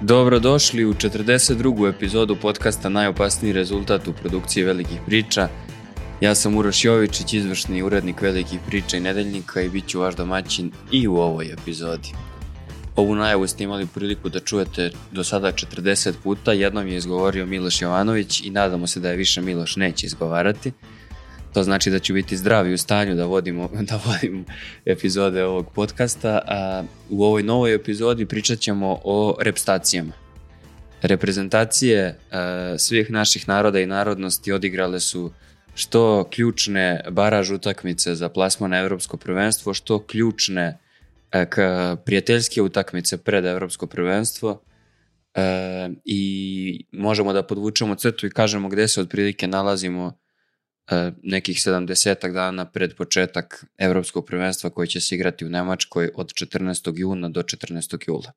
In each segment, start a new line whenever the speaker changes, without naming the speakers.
Dobrodošli u 42. epizodu podcasta Najopasniji rezultat u produkciji Velikih priča. Ja sam Uroš Jovičić, izvršni urednik Velikih priča i Nedeljnika i bit ću vaš domaćin i u ovoj epizodi. Ovu najavu ste imali priliku da čujete do sada 40 puta, jednom je izgovorio Miloš Jovanović i nadamo se da je više Miloš neće izgovarati. To znači da ću biti zdravi u stanju da vodim epizode ovog podcasta, a u ovoj novoj epizodi pričat ćemo o reprezentacijama. Reprezentacije svih naših naroda i narodnosti odigrale su što ključne baraž utakmice za plasman na Evropsko prvenstvo, što ključne prijateljske utakmice pred Evropsko prvenstvo i možemo da podvučemo crtu i kažemo gde se otprilike nalazimo nekih 70 dana pred početak Evropskog prvenstva koji će se igrati u Nemačkoj od 14. juna do 14. jula.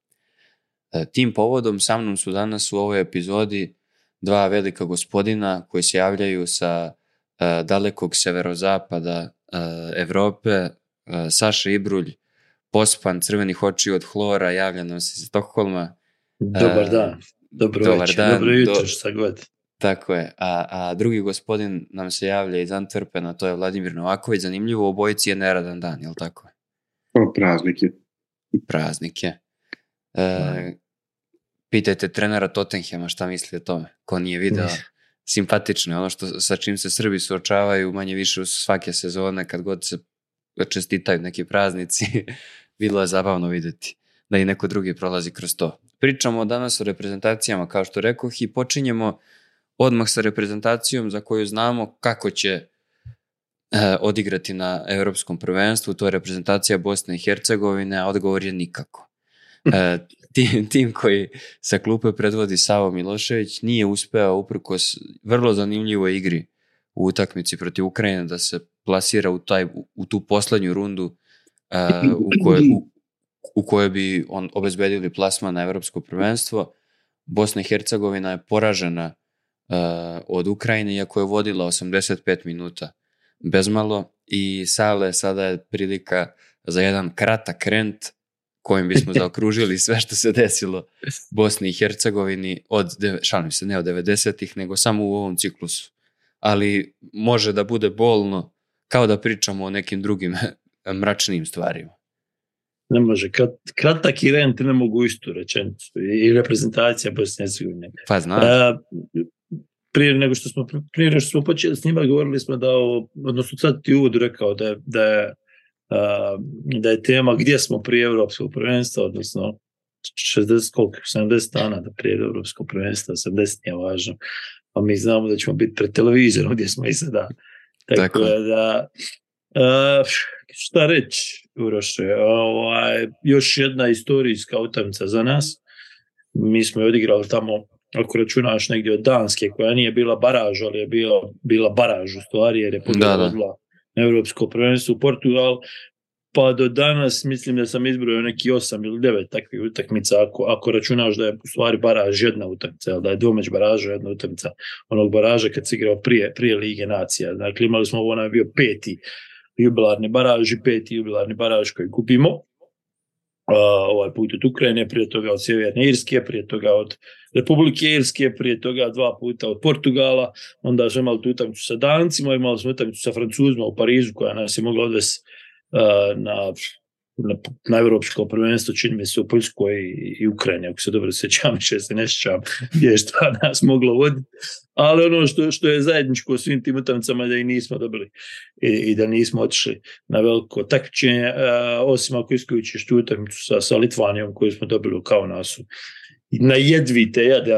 Tim povodom sa mnom su danas u ovoj epizodi dva velika gospodina koji se javljaju sa dalekog severozapada Evrope, Saša Ibrulj, pospan crvenih očiju od hlora, javlja nam se iz Stokholma.
Dobar dan, dobro jutro, šta god.
Tako je, a drugi gospodin nam se javlja iz Antwerpena, to je Vladimir Novaković. Zanimljivo, obojici je neradan dan, je li tako? Praznik je. Pitajte trenera Tottenhema šta misli o tome, ko nije video. Simpatično je ono što, sa čim se Srbi suočavaju manje više u svake sezone, kad god se čestitaju neki praznici, bilo je zabavno vidjeti da i neko drugi prolazi kroz to. Pričamo danas o reprezentacijama, kao što rekoh, i počinjemo odmah sa reprezentacijom za koju znamo kako će odigrati na Evropskom prvenstvu. To je reprezentacija Bosne i Hercegovine, a odgovor je nikako. Tim koji sa klupe predvodi Savo Milošević nije uspeo uprkos vrlo zanimljivoj igri u utakmici protiv Ukrajine da se plasira u tu poslednju rundu u kojoj bi on obezbedili plasman na Evropsko prvenstvo. Bosna i Hercegovina je poražena od Ukrajine, iako je vodila 85 minuta bezmalo, i Sale, sada je prilika za jedan kratak rent kojim bismo zaokružili sve što se desilo Bosni i Hercegovini šalim se, ne od 90-ih, nego samo u ovom ciklusu. Ali može da bude bolno, kao da pričamo o nekim drugim mračnim stvarima.
Ne može, kratak i rent ne mogu istu rečenicu. I reprezentacija Bosne i Hercegovine.
Pa znaš.
Prije nego što smo počeli s njima, govorili smo odnosno sad ti uvodu rekao da je tema gdje smo prije Evropskog prvenstva, odnosno 70 dana da prije Evropskog prvenstva, 70 nije važno, a mi znamo da ćemo biti pred televizorom gdje smo i sada. Tako da, šta reći, Uroše, još jedna istorijska utakmica za nas. Mi smo je odigrali tamo, ako računaš negdje od Danske, koja nije bila baraž, ali je bila baraž u stvari, jer je podvodila Evropsko prvenstvo u Portugal, pa do danas mislim da sam izbrojao neki 8 ili 9 takvih utakmica, ako računaš da je u stvari baraž jedna utakmica, da je dvomeć baraža jedna utakmica onog baraža kad se igrao prije Lige nacija. Dakle, imali smo onaj bio peti jubilarni baraž koji kupimo. Ovaj put od Ukrajine, prije toga od Sjeverne Irske, prije toga od Republike Irske, prije toga 2 puta od Portugala, onda smo imali tu utakmicu sa Dancima, imali smo utakmicu sa Francuzima u Parizu koja nas je mogla odvesti na Evropsko prvenstvo, čini mi se u Poljskoj i Ukrajini, ako se dobro sjećam, se ne sjećam gdje je šta nas moglo voditi, ali ono što je zajedničko svim tim utakmicama da i nismo dobili i da nismo otišli na veliko takmičenje, osim ako isključiš tu utakmicu sa Litvanijom koju smo dobili u Kaunasu. Na jedvite jade,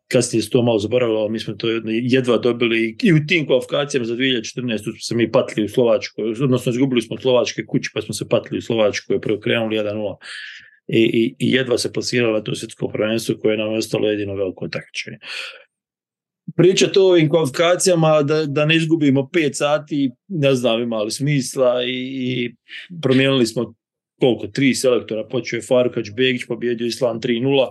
kasnije se to malo zaboravilo, mi smo to jedva dobili i u tim kvalifikacijama za 2014. smo se mi patili u Slovačkoj, odnosno izgubili smo Slovačke kući pa smo se patili u Slovačkoj, prvo krenuli 1-0 i jedva se plasirala to svjetsko prvenstvo koje nam je ostalo jedino veliko takmičenje. Pričati o ovim kvalifikacijama da ne izgubimo 5 sati, ne znam, imali smisla i promijenili smo koliko, 3 selektora, počeo je Faruk Hadžbegić, pobjedio Island 3-0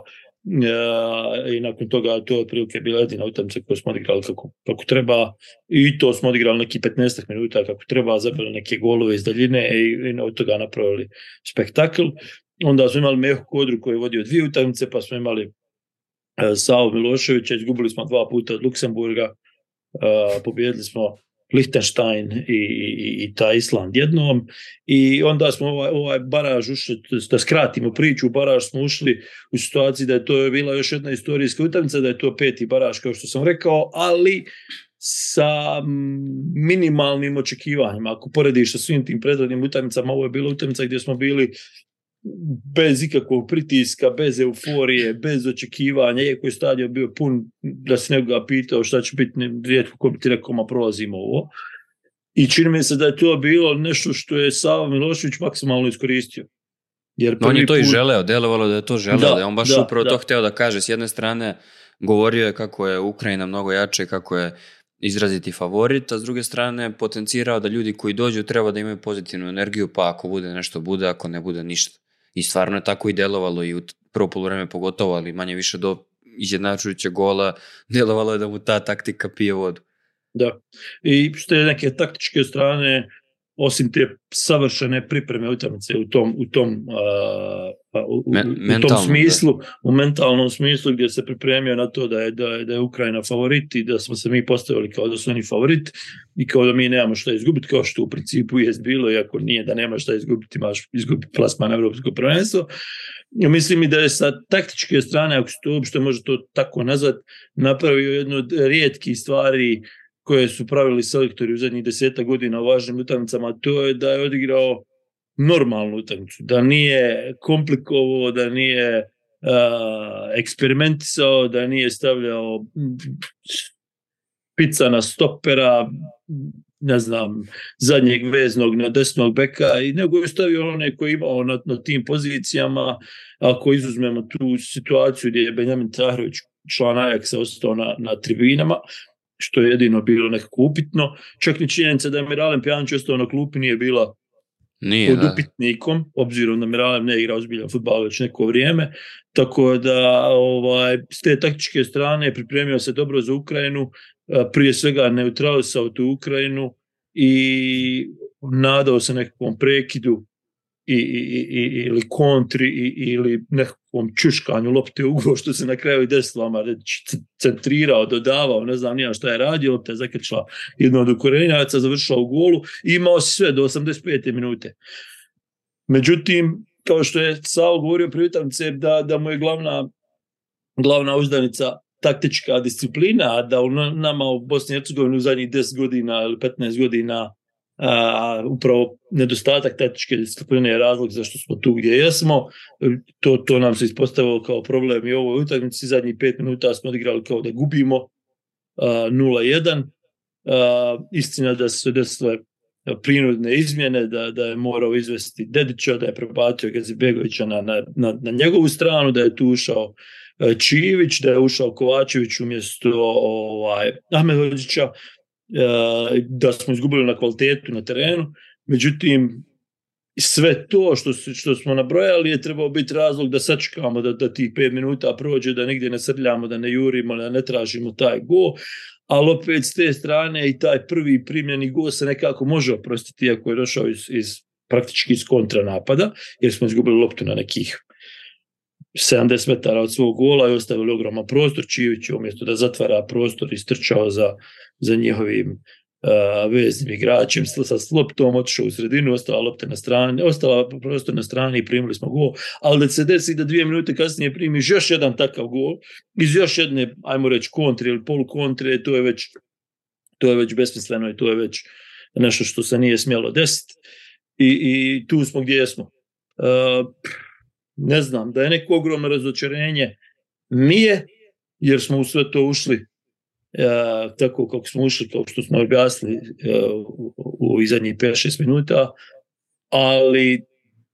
i nakon toga to je otprilike bila jedina utakmica koju smo odigrali kako treba i to smo odigrali neki 15 minuta kako treba, zabili neke golove iz daljine i od toga napravili spektakl. onda smo imali Mehu Kodru koji je vodio 2 utakmice, pa smo imali Savu Miloševića, izgubili smo 2 puta od Luksemburga, pobjedili smo Liechtenstein i taj Island jednom, i onda smo ovaj baraž ušli, da skratimo priču, u baraž smo ušli u situaciji da je to bila još jedna istorijska utakmica, da je to 5. baraž, kao što sam rekao, ali sa minimalnim očekivanjima. Ako porediš sa svim tim prethodnim utakmicama, ovo je bila utakmica gdje smo bili bez ikakvog pritiska, bez euforije, bez očekivanja, iako je stadion bio pun, da se nekoga pitao šta će biti, rijetko ko bi ti rekao, ma prolazimo ovo. I čini mi se da je to bilo nešto što je Sava Milošević maksimalno iskoristio.
Jer on je to i želeo, delovalo da je to želeo, da je on baš upravo to hteo da kaže. S jedne strane govorio je kako je Ukrajina mnogo jače, kako je izraziti favorit, a s druge strane potencirao da ljudi koji dođu treba da imaju pozitivnu energiju, pa ako bude nešto bude, ako ne bude ništa. I stvarno je tako i delovalo i u prvo poluvreme pogotovo, ali manje više do izjednačujućeg gola delovalo je da mu ta taktika pije vodu.
Da, i što je neke taktičke strane, osim te savršene pripreme utakmice u tom smislu, u mentalnom smislu, gdje se pripremio na to da je Ukrajina favorit i da smo se mi postavili kao da su oni favorit i kao da mi nemamo šta izgubiti, kao što u principu jest bilo, iako nije da nema šta izgubiti, imaš izgubiti plasman na Evropsko prvenstvo. Mislim i da je sa taktičke strane, ako se to uopšte može to tako nazvat, napravio jednu od rijetkih stvari koje su pravili selektori u zadnjih 10 godina u važnim utakmicama, to je da je odigrao normalnu utakmicu, da nije komplikovao, da nije eksperimentisao, da nije stavljao pica na stopera, ne znam, zadnjeg veznog na desnog beka, i nego je stavio one koji je imao na tim pozicijama. Ako izuzmemo tu situaciju gdje je Benjamin Tahrović, član Ajaxa, ostao na tribinama, što je jedino bilo nekako upitno. Čak ni činjenica da je Miralem Pjanić ostao na klupi nije bila pod upitnikom, obzirom da Miralem ne igra ozbiljan fudbal već neko vrijeme. Tako da s te taktičke strane pripremio se dobro za Ukrajinu, prije svega neutralisao tu Ukrajinu i nadao se nekakvom prekidu ili kontri ili nekakvom čuškanju lopte u gol, što se na kraju i desilo, centrirao, dodavao, ne znam nija šta je radio, lopta je zakrčila jedno od Ukrajinaca, završila u golu i imao sve do 85. minute. Međutim, kao što je Savo govorio pri utakmici, da mu je glavna uzdanica taktička disciplina, a da u nama u Bosni i Hercegovini u zadnjih 10 godina ili 15 godina upravo nedostatak taktičke discipline je razlog zašto smo tu gdje jesmo. To nam se ispostavilo kao problem i u ovoj utakmici. Zadnjih 5 minuta smo odigrali kao da gubimo 0-1. Istina da su se desile prinudne izmjene, da je morao izvesti Dedića, da je prebacio Gazibegovića na njegovu stranu, da je tu ušao Čivić, da je ušao Kovačević umjesto Ahmedhođića, da smo izgubili na kvalitetu na terenu. Međutim, sve to što smo nabrojali je trebao biti razlog da sačekamo da tih 5 minuta prođe, da nigdje ne srljamo, da ne jurimo, da ne tražimo taj gol. Ali opet s te strane i taj prvi primljeni gol se nekako može oprostiti, iako je došao praktički iz kontranapada, jer smo izgubili loptu na nekih 70 metara od svog gola i ostavili ogroman prostor. Čivić umjesto da zatvara prostor istrčao za njihovim veznim igračem sa loptom, otišao u sredinu, ostala prostor na strani i primili smo gol. Ali da se desi da 2 minute kasnije primiš još jedan takav gol iz još jedne, ajmo reći, kontre ili polukontre, to je već besmisleno i to je već nešto što se nije smjelo desiti. I tu smo gdje jesmo. Ne znam, da je neko ogromno razočarenje, nije, jer smo u sve to ušli tako kako smo ušli, kao što smo objasnili u zadnjih 5-6 minuta, ali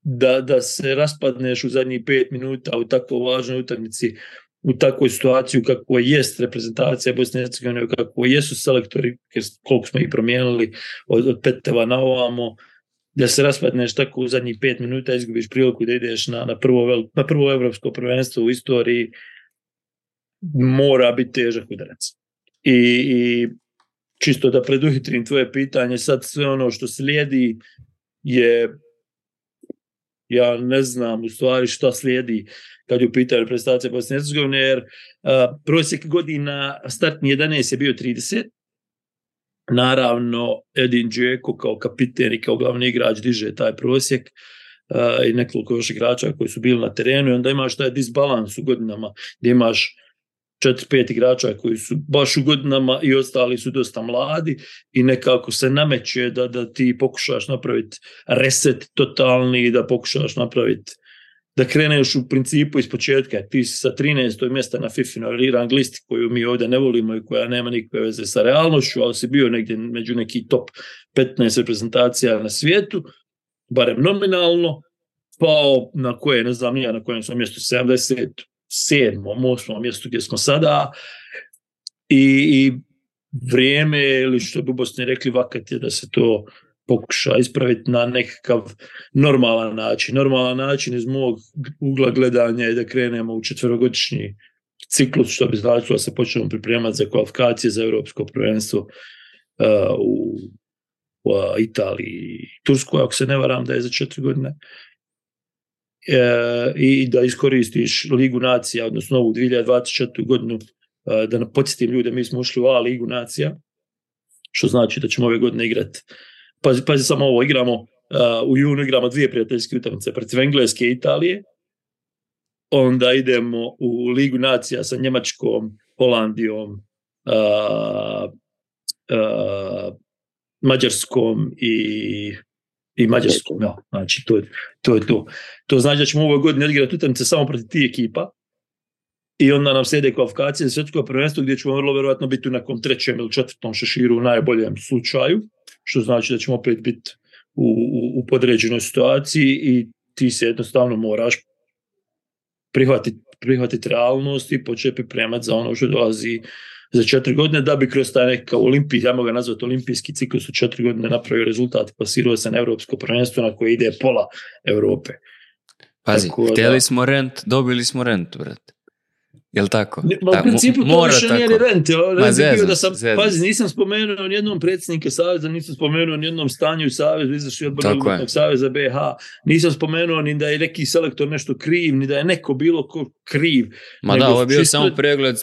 da se raspadneš u zadnjih 5 minuta u tako važnoj utakmici, u takvoj situaciji kako jest reprezentacija Bosne i Hercegovine, kako jesu selektori, koliko smo ih promijenili od Peteva na ovamo, da se raspadneš tako u zadnjih 5 minuta, izgubiš priliku da ideš na prvo evropsko prvenstvo u istoriji, mora biti težak udarac. I čisto da preduhitrim tvoje pitanje, sad sve ono što slijedi je ja ne znam u stvari šta slijedi kad je u pitanju reprezentacija Bosne i Hercegovine, jer prosjek godina startni 11 je bio 30. Naravno, Edin Džeko kao kapiten i kao glavni igrač diže taj prosjek i nekoliko još igrača koji su bili na terenu i onda imaš taj disbalans u godinama gdje imaš 4-5 igrača koji su baš u godinama i ostali su dosta mladi i nekako se nameće da ti pokušaš napraviti reset totalni, da pokušaš napraviti da kreneš u principu iz početka. Ti si sa 13. mjesta na FIFA rang listi koju mi ovdje ne volimo i koja nema nikakve veze sa realnošću, ali si bio negdje među neki top 15 reprezentacija na svijetu, barem nominalno, pao na koje, ne znam ja na kojem sam mjestu, 77. 8. mjestu gdje smo sada i vrijeme, ili što bi Bosni rekli, vakat je da se to pokuša ispraviti na nekakav normalan način. Normalan način iz mog ugla gledanja je da krenemo u 4-godišnji ciklus, što bi značilo da se počnemo pripremati za kvalifikacije za Europsko prvenstvo u Italiji i Turskoj, ako se ne varam da je za 4 godine. I da iskoristiš Ligu nacija, odnosno ovu 2024. godinu, da podsjetim ljude, mi smo ušli u A Ligu nacija, što znači da ćemo ove godine igrati. Pazi samo ovo, u junu igramo 2 prijateljske utakmice protiv Engleske i Italije, onda idemo u Ligu nacija sa Njemačkom, Holandijom, Mađarskom i Mađarskom, ja. Znači to je to. To znači da ćemo u ovoj godini igrati utakmice samo protiv tih ekipa i onda nam slijede kvalifikacije za svjetsko prvenstvo gdje ćemo vrlo vjerojatno biti u nekom 3. ili 4. šeširu u najboljem slučaju, što znači da ćemo opet biti u podređenoj situaciji i ti se jednostavno moraš prihvatiti realnost i početi pripremati za ono što dolazi za 4 godine, da bi kroz taj nekakav ajmo ga nazvati olimpijski ciklus u 4 godine napravio rezultat i plasirao se na Europsko prvenstvo na koje ide pola Europe.
Pazi, htjeli smo rent, dobili smo rent, brate. Jel' tako?
U principu to više nije rent. Pazi, nisam spomenuo nijednom predsjednika Saveza, nisam spomenuo nijednom stanju u Savezu, izvršni odbor Nogometnog saveza BiH, nisam spomenuo ni da je neki selektor nešto kriv, ni da je neko bilo ko kriv.
Ma da, ovo je bio samo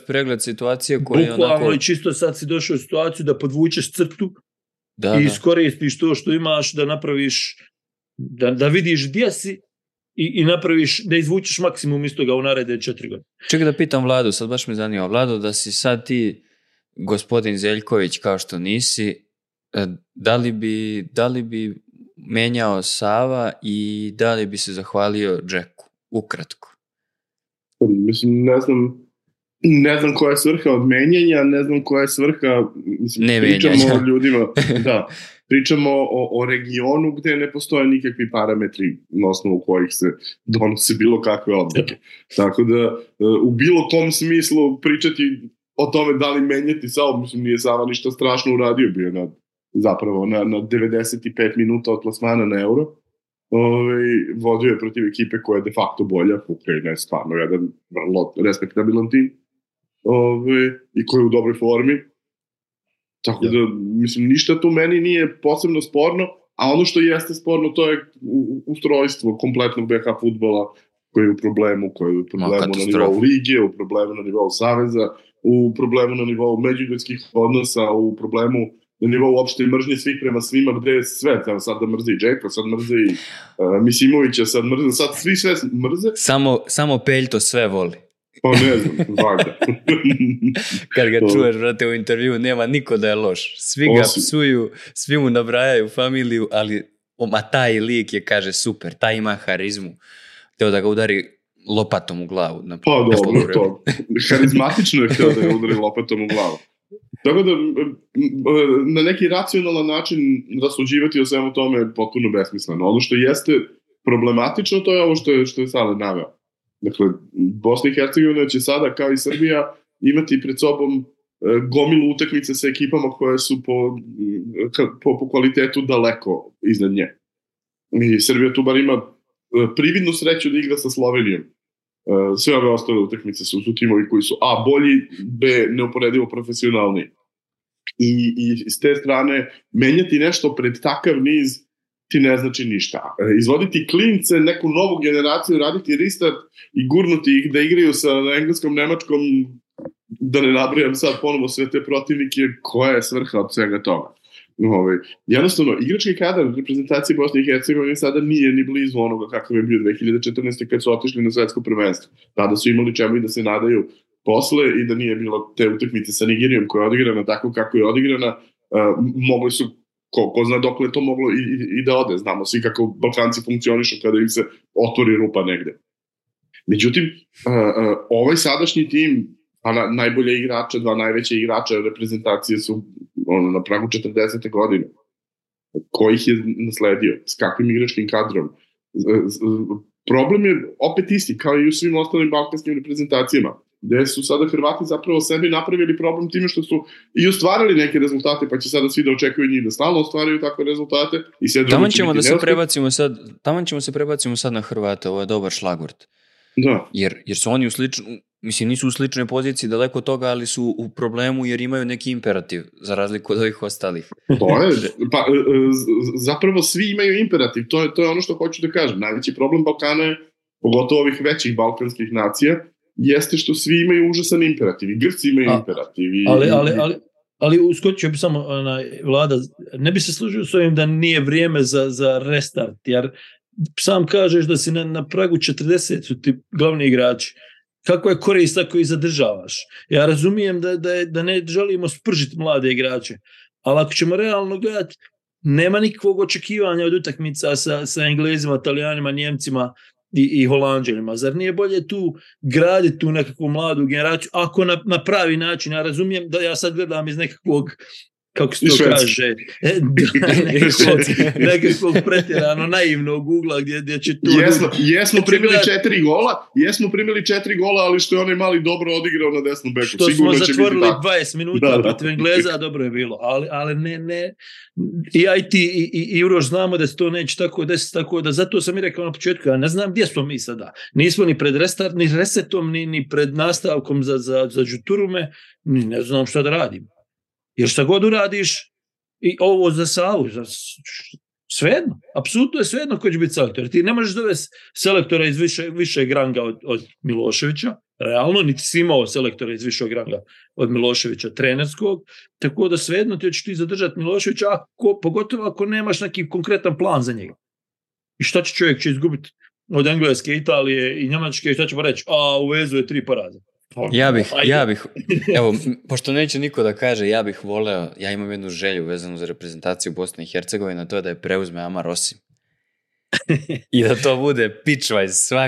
pregled situacije koja je onako...
Bukvalno i čisto sad si došao u situaciju da podvučeš crtu i iskoristiš to što imaš, da napraviš, da vidiš gdje si i napraviš, da izvučeš maksimum iz toga u naredne 4 godine.
Čekaj da pitam Vladu, sad baš me zanima. Vlado, da si sad ti gospodin Zeljković kao što nisi, da li bi menjao Sava i da li bi se zahvalio Džeku? Ukratko.
Mislim, ne znam koja je svrha od menjanja, ne znam koja je svrha, mislim,
ne
pričamo
menjanja.
O ljudima, da, pričamo o regionu gdje ne postoje nikakvi parametri na osnovu kojih se donose bilo kakve odluke. Tako da, u bilo kom smislu pričati o tome da li menjati Savu, mislim, nije Sava ništa strašno uradio, bio na 95 minuta od plasmana na Euro. Vodio je protiv ekipe koja je de facto bolja, Ukrajina je stvarno jedan vrlo respektabilan tim i koji je u dobroj formi. Tako da, mislim, ništa tu meni nije posebno sporno, a ono što jeste sporno to je ustrojstvo kompletnog BiH fudbala koji je u problemu, na nivou lige, u problemu na nivou saveza, u problemu na nivou međuljudskih odnosa, u problemu na nivou opšte mržnje svih prema svima, gde je sve, sad da mrzi Džeka, sad mrzi Misimovića, sad svi sve mrze.
Samo Peljto sve voli.
Pa ne znam, valjda.
Kad ga čuješ, brate, u intervju, nema niko da je loš. Svi ga psuju, svi mu nabrajaju familiju, ali taj lik je, kaže, super, taj ima harizmu. Teo da ga udari lopatom u glavu.
Pa dobro, to. Harizmatično je htio da ga udari lopatom u glavu. Tako da, na neki racionalan način rasuđivati o svemu tome je potpuno besmisleno. Ono što jeste problematično, to je ovo što je Sale naveo. Dakle, Bosna i Hercegovina će sada, kao i Srbija, imati pred sobom gomilu utakmice sa ekipama koje su po kvalitetu daleko iznad nje. I Srbija tu bar ima prividnu sreću da igra sa Slovenijom. Sve ove ostale utakmice su timovi koji su A, bolji, B, neuporedivo profesionalni. I s te strane menjati nešto pred takav niz ti ne znači ništa. Izvoditi klince, neku novu generaciju, raditi restart i gurnuti ih da igraju sa engleskom, nemačkom, da ne nabrajam sad ponovo sve te protivnike, koja je svrha od svega toga. Jednostavno, igrački kadar reprezentacije Bosne i Hercegovine sada nije ni blizu onoga kakav je bio 2014. kad su otišli na svetsko prvenstvo. Tada su imali čemu i da se nadaju posle i da nije bilo te utakmice sa Nigerijom koja je odigrana tako kako je odigrana, mogli su, ko zna dokle je to moglo i da ode. Znamo svi kako Balkanci funkcionišu kada im se otvori rupa negde. Međutim, ovaj sadašnji tim, najbolje igrača, dva najveća igrača reprezentacije su na pragu 40. godine. Ko ih je nasledio? S kakvim igračkim kadrom? Problem je opet isti, kao i u svim ostalim balkanskim reprezentacijama, gde su sada Hrvati zapravo sebi napravili problem time što su i ostvarili neke rezultate, pa će sada svi da očekuju njih da stalno ostvaraju takve rezultate.
Taman ćemo se prebacimo sad na Hrvate, ovo je dobar šlagvort.
Da.
Jer su oni nisu u sličnoj poziciji daleko od toga, ali su u problemu jer imaju neki imperativ, za razliku od ovih ostalih.
To je, zapravo svi imaju imperativ, to je ono što hoću da kažem. Najveći problem Balkana je, pogotovo ovih većih balkanskih nacija, jeste što svi imaju užasan imperativ. I Grci imaju imperativ.
Ali uskočio bi samo Vlada, ne bi se složio s ovim da nije vrijeme za restart, jer sam kažeš da si na pragu 40 su ti glavni igrači. Kako je korist ako ih zadržavaš? Ja razumijem da ne želimo spržiti mlade igrače, ali ako ćemo realno gledati, nema nikakvog očekivanja od utakmica sa Englezima, Talijanima, Njemcima i Holanđanima. Zar nije bolje tu graditi tu nekakvu mladu generaciju, ako na pravi način? Ja razumijem da ja sad gledam iz nekakvog, kako se to kaže, nekakvog pretjerano naivnog ugla gdje će tu...
Jesmo primili 4 gola, ali što je onaj mali dobro odigrao na desnom beku.
Što smo zatvorili 20 minuta protiv Engleza, dobro je bilo. Ali ne, i ti i Uroš znamo da se to neće tako desiti, tako da zato sam i rekao na početku, ja ne znam gdje smo mi sada. Nismo ni pred resetom, ni pred nastavkom za Đuturume, ne znam šta da radimo. Jer šta god uradiš, i ovo za Savu, svejedno, apsolutno je svejedno ko će biti selektor. Ti ne možeš dovesti selektora iz višeg ranga od Miloševića, realno, niti si imao selektora iz višeg ranga od Miloševića, trenerskog, tako da svejedno ti hoćeš ti zadržati Miloševića, pogotovo ako nemaš neki konkretan plan za njega. I šta će čovjek izgubiti od Engleske, Italije i Njemačke, i šta ćemo reći? U vezu je 3 poraza.
Ja bih, evo, pošto neće niko da kaže, ja bih voleo, ja imam jednu želju vezanu za reprezentaciju Bosne i Hercegovine, to je da je preuzme Amar Osim. I da to bude pitchwise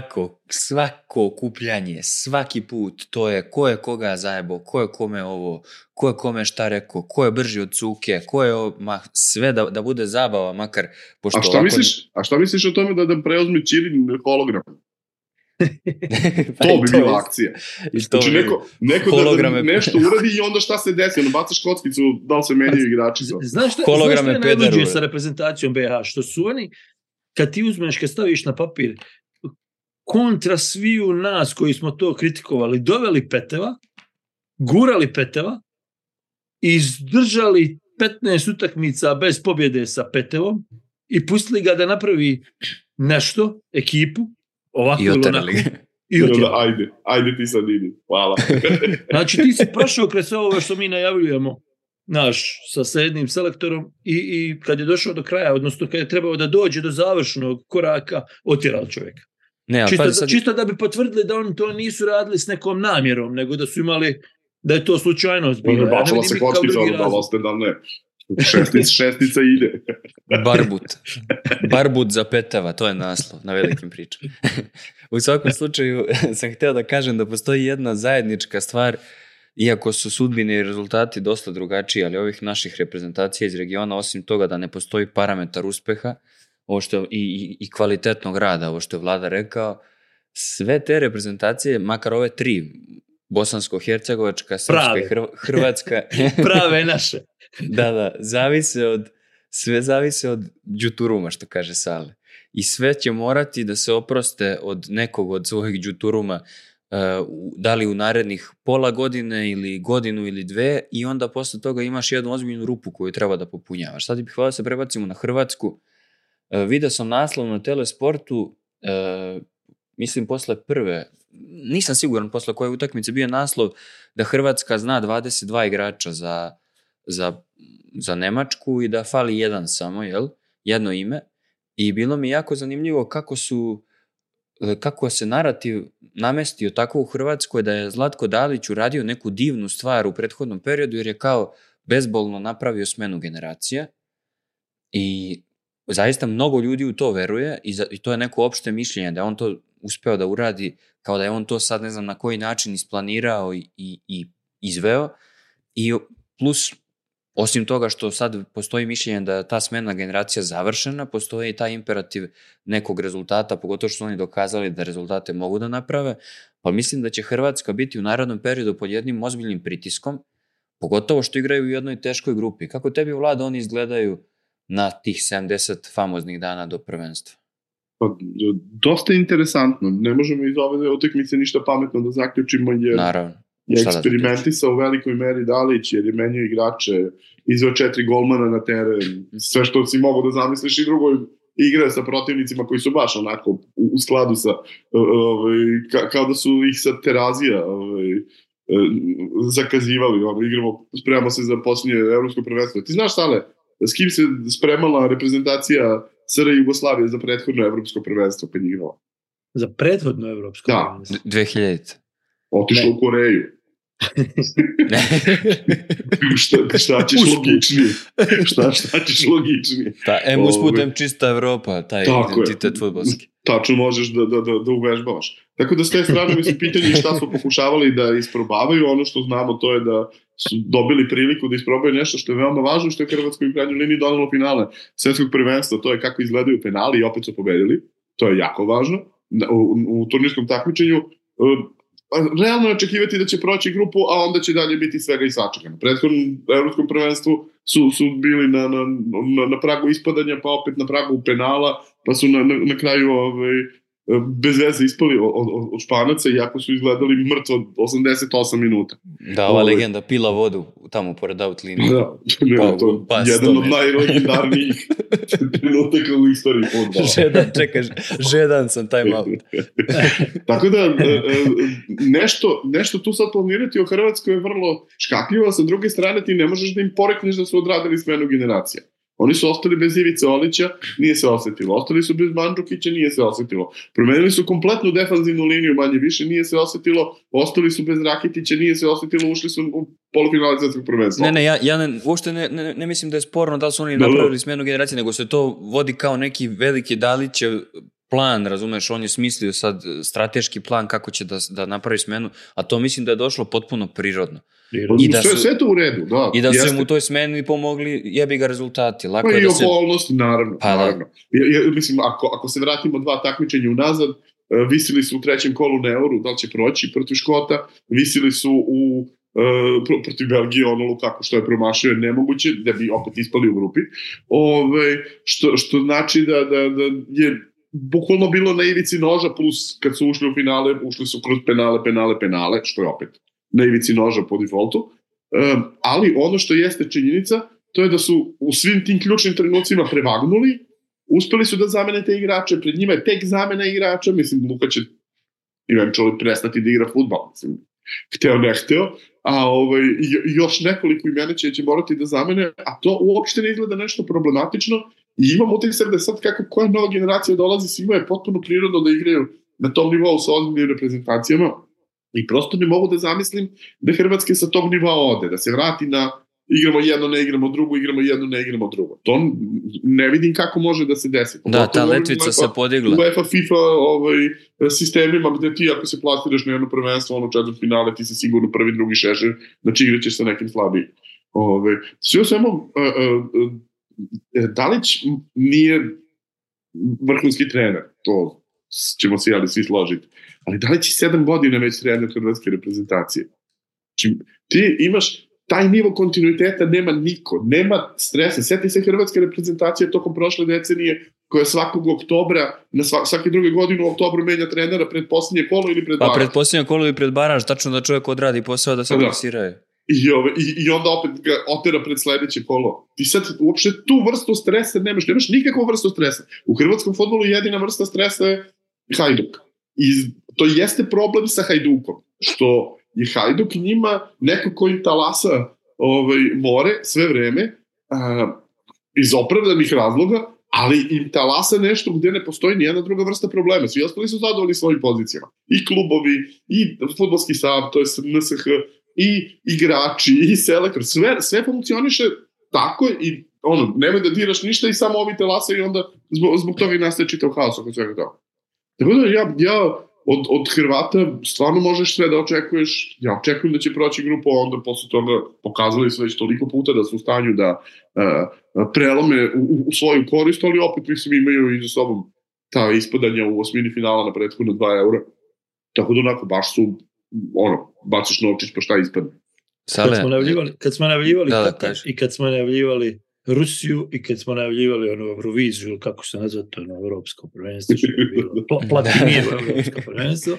svako okupljanje, svaki put, to je ko je koga zajebo, ko je kome ovo, ko je kome šta rekao, ko je brži od cuke, ko je sve da bude zabava, makar...
A šta misliš o tome da preuzme Ćirin hologram? To bi bila akcija. Znači neko da nešto uradi i onda šta se desi, ono bacaš kockicu, da li se menjaju igrači.
Znaš što je najluđe sa reprezentacijom BiH? Što su oni, kad ti uzmeš, kad staviš na papir, kontra sviju nas koji smo to kritikovali, doveli Peteva, gurali Peteva, izdržali 15 utakmica bez pobjede sa Petevom i pustili ga da napravi nešto, ekipu, ovako
i oterali.
Ajde ti sad idi. Hvala.
Znači ti si prošao kroz sve ovo što mi najavljujemo sa jednim selektorom i kad je došao do kraja, odnosno kad je trebao da dođe do završnog koraka, otjerao čovjeka. Čisto da bi potvrdili da oni to nisu radili s nekom namjerom, nego da su imali, da je to slučajnost bilo.
Bačala se kockica, da oste da ne. Šestica ide.
Barbut za Peteva, to je naslov na velikim pričama. U svakom slučaju sam htio da kažem da postoji jedna zajednička stvar, iako su sudbine i rezultati dosta drugačiji, ali ovih naših reprezentacija iz regiona, osim toga da ne postoji parametar uspeha, ovo što i kvalitetnog rada, ovo što je Vlada rekao, sve te reprezentacije, makar ove 3, bosansko-hercegovačka, srpska, hrvatska,
prave naše.
Da, sve zavise od đuturuma, što kaže Sale. I sve će morati da se oproste od nekog od svojih đuturuma, da li u narednih pola godine ili godinu ili 2, i onda posle toga imaš jednu ozbiljnu rupu koju treba da popunjavaš. Sad bih hvala se prebacimo na Hrvatsku. Vidio sam naslov na Telesportu, mislim posle prve, nisam siguran posle koje utakmice bio naslov da Hrvatska zna 22 igrača za Nemačku i da fali jedan samo, jedno ime. I bilo mi jako zanimljivo kako se narativ namestio tako u Hrvatskoj da je Zlatko Dalić uradio neku divnu stvar u prethodnom periodu jer je kao bezbolno napravio smenu generacija i zaista mnogo ljudi u to veruje i to je neko opšte mišljenje da je on to uspeo da uradi, kao da je on to sad ne znam na koji način isplanirao i izveo i plus osim toga što sad postoji mišljenje da je ta smena generacija završena, postoji i taj imperativ nekog rezultata, pogotovo što su oni dokazali da rezultate mogu da naprave, pa mislim da će Hrvatska biti u narednom periodu pod jednim ozbiljnim pritiskom, pogotovo što igraju u jednoj teškoj grupi. Kako tebi, Vlada, oni izgledaju na tih 70 famoznih dana do prvenstva?
Pa, dosta interesantno. Ne možemo iz ove utakmice ništa pametno da zaključimo jer
naravno.
Je eksperimentisao u velikoj meri Dalić jer je menjao igrače, izveo 4 golmana na teren, sve što si mogu da zamisliš i drugo igra sa protivnicima koji su baš onako u skladu sa kao da su ih sa Terazija zakazivali, igramo, spremamo se za posljednje evropsko prvenstvo. Ti znaš, Sale, s kim se spremala reprezentacija SR Jugoslavije za prethodno evropsko prvenstvo kad igrala?
Za prethodno evropsko prvenstvo?
2000.
Otišla u Koreju. šta ćeš logičnije? Šta ćeš logičnije?
Usputem čista Evropa, taj identitet fudbalski.
Tačno možeš da uvežbavaš. Tako da s te strane mi su pitanje šta su pokušavali da isprobavaju. Ono što znamo to je da su dobili priliku da isprobaju nešto što je veoma važno, što je Hrvatskoj u krajnjoj liniji donelo finale svetskog prvenstva. To je kako izgledaju penali i opet su pobedili. To je jako važno. U turnirskom takmičenju realno je očekivati da će proći grupu, a onda će dalje biti svega i svačega. Na prethodnom evropskom prvenstvu su bili na pragu ispadanja, pa opet na pragu penala, pa su na kraju bez veze ispali od Španaca, iako su izgledali mrtvo 88 minuta.
Da, ova legenda pila vodu tamo pored outlinije.
Da, to je jedan od najlegendarnijih trenutaka u istoriji fudbala.
Žedan sam time out.
Tako da, nešto tu sad planirati o Hrvatskoj je vrlo škakljivo, sa druge strane ti ne možeš da im porekneš da su odradili smenu generacija. Oni su ostali bez Ivice Olića, nije se osetilo. Ostali su bez Mandžukića, nije se osetilo. Promenili su kompletnu defanzivnu liniju, manje više, nije se osetilo. Ostali su bez Rakitića, nije se osetilo. Ušli su u polufinale svetskog prvenstva.
Ja uopšte ne mislim da je sporno da su oni napravili smjenu generacije, nego se to vodi kao neki veliki Dalićev plan, razumeš, on je smislio sad strateški plan kako će da napravi smenu, a to mislim da je došlo potpuno prirodno.
Sve to u redu, da.
I da su mu u toj smeni pomogli jebi ga rezultati.
Lako pa i okolnosti, naravno. Mislim, ako se vratimo 2 takmičenja unazad, visili su u 3. kolu na Euru, da li će proći protiv Škota, visili su protiv Belgije ono Lukaku što je promašio nemoguće, da bi opet ispali u grupi. Što znači da je bukvalno bilo na ivici noža, plus kad su ušli u finale, ušli su kroz penale, što je opet na ivici noža po defaultu. Ali ono što jeste činjenica, to je da su u svim tim ključnim trenucima prevagnuli, uspeli su da zamene te igrače, pred njima je tek zamena igrača, mislim, Luka će eventually prestati da igra fudbal, mislim, hteo ne hteo, a još nekoliko imena će morati da zamene, a to uopšte ne izgleda nešto problematično. I imam utisak da sad koja nova generacija dolazi, svima je potpuno prirodno da igraju na tom nivou sa ozbiljnim reprezentacijama i prosto ne mogu da zamislim da Hrvatske sa tog nivoa ode, da se vrati na igramo jedno, ne igramo drugo, igramo jedno, ne igramo drugo. To ne vidim kako može da se desi.
Da, ta letvica se podigla.
U UEFA, FIFA sistemima gde ti ako se plasiraš na jedno prvenstvo, ono četvrtfinale, ti si sigurno prvi, drugi šešir, znači igraćeš sa nekim slabijim. Sve o svemu, Dalić nije vrhunski trener, to ćemo se svi složiti, ali Dalić je 7 godina već trener hrvatske reprezentacije. Znači, ti imaš taj nivo kontinuiteta, nema niko, nema stresa. Sjeti se hrvatske reprezentacije tokom prošle decenije koja svakog oktobra, svake druge godine u oktobru menja trenera pred posljednje kolo ili pred baraž.
Pa pred posljednje kolo ili pred baraž, tačno da čovjek odradi posao da se klasiraju.
I onda opet ga otera pred sledeće kolo. Ti sad uopšte tu vrstu stresa nemaš nikakvu vrstu stresa. U hrvatskom fudbalu jedina vrsta stresa je Hajduk. I to jeste problem sa Hajdukom, što je Hajduk njima neko koji talasa more sve vreme iz opravdanih razloga, ali im talasa nešto gde ne postoji nijedna druga vrsta problema. Svi ostali su zadovoljni svojim pozicijama. I klubovi, i fudbalski sav, to je NSH, i igrači, i selektor. Sve funkcioniše tako i nemoj da diraš ništa i samo ovi talasa i onda zbog toga i nastaje čitav haos oko svega toga. Tako da ja od Hrvata stvarno možeš sve da očekuješ. Ja očekujem da će proći grupu, a onda posle toga pokazali su već toliko puta da su u stanju da prelome u svoju korist, ali opet mislim imaju i za sobom ta ispadanja u osmini finala na prethodno 2 eura. Tako da onako baš su baciš novčić pa šta ispadne.
Kad smo najavljivali Katar i kad smo najavljivali Rusiju i kad smo najavljivali Euroviziju, kako se nazva to evropsko prvenstvo, što je bilo platinije evropsko prvenstvo,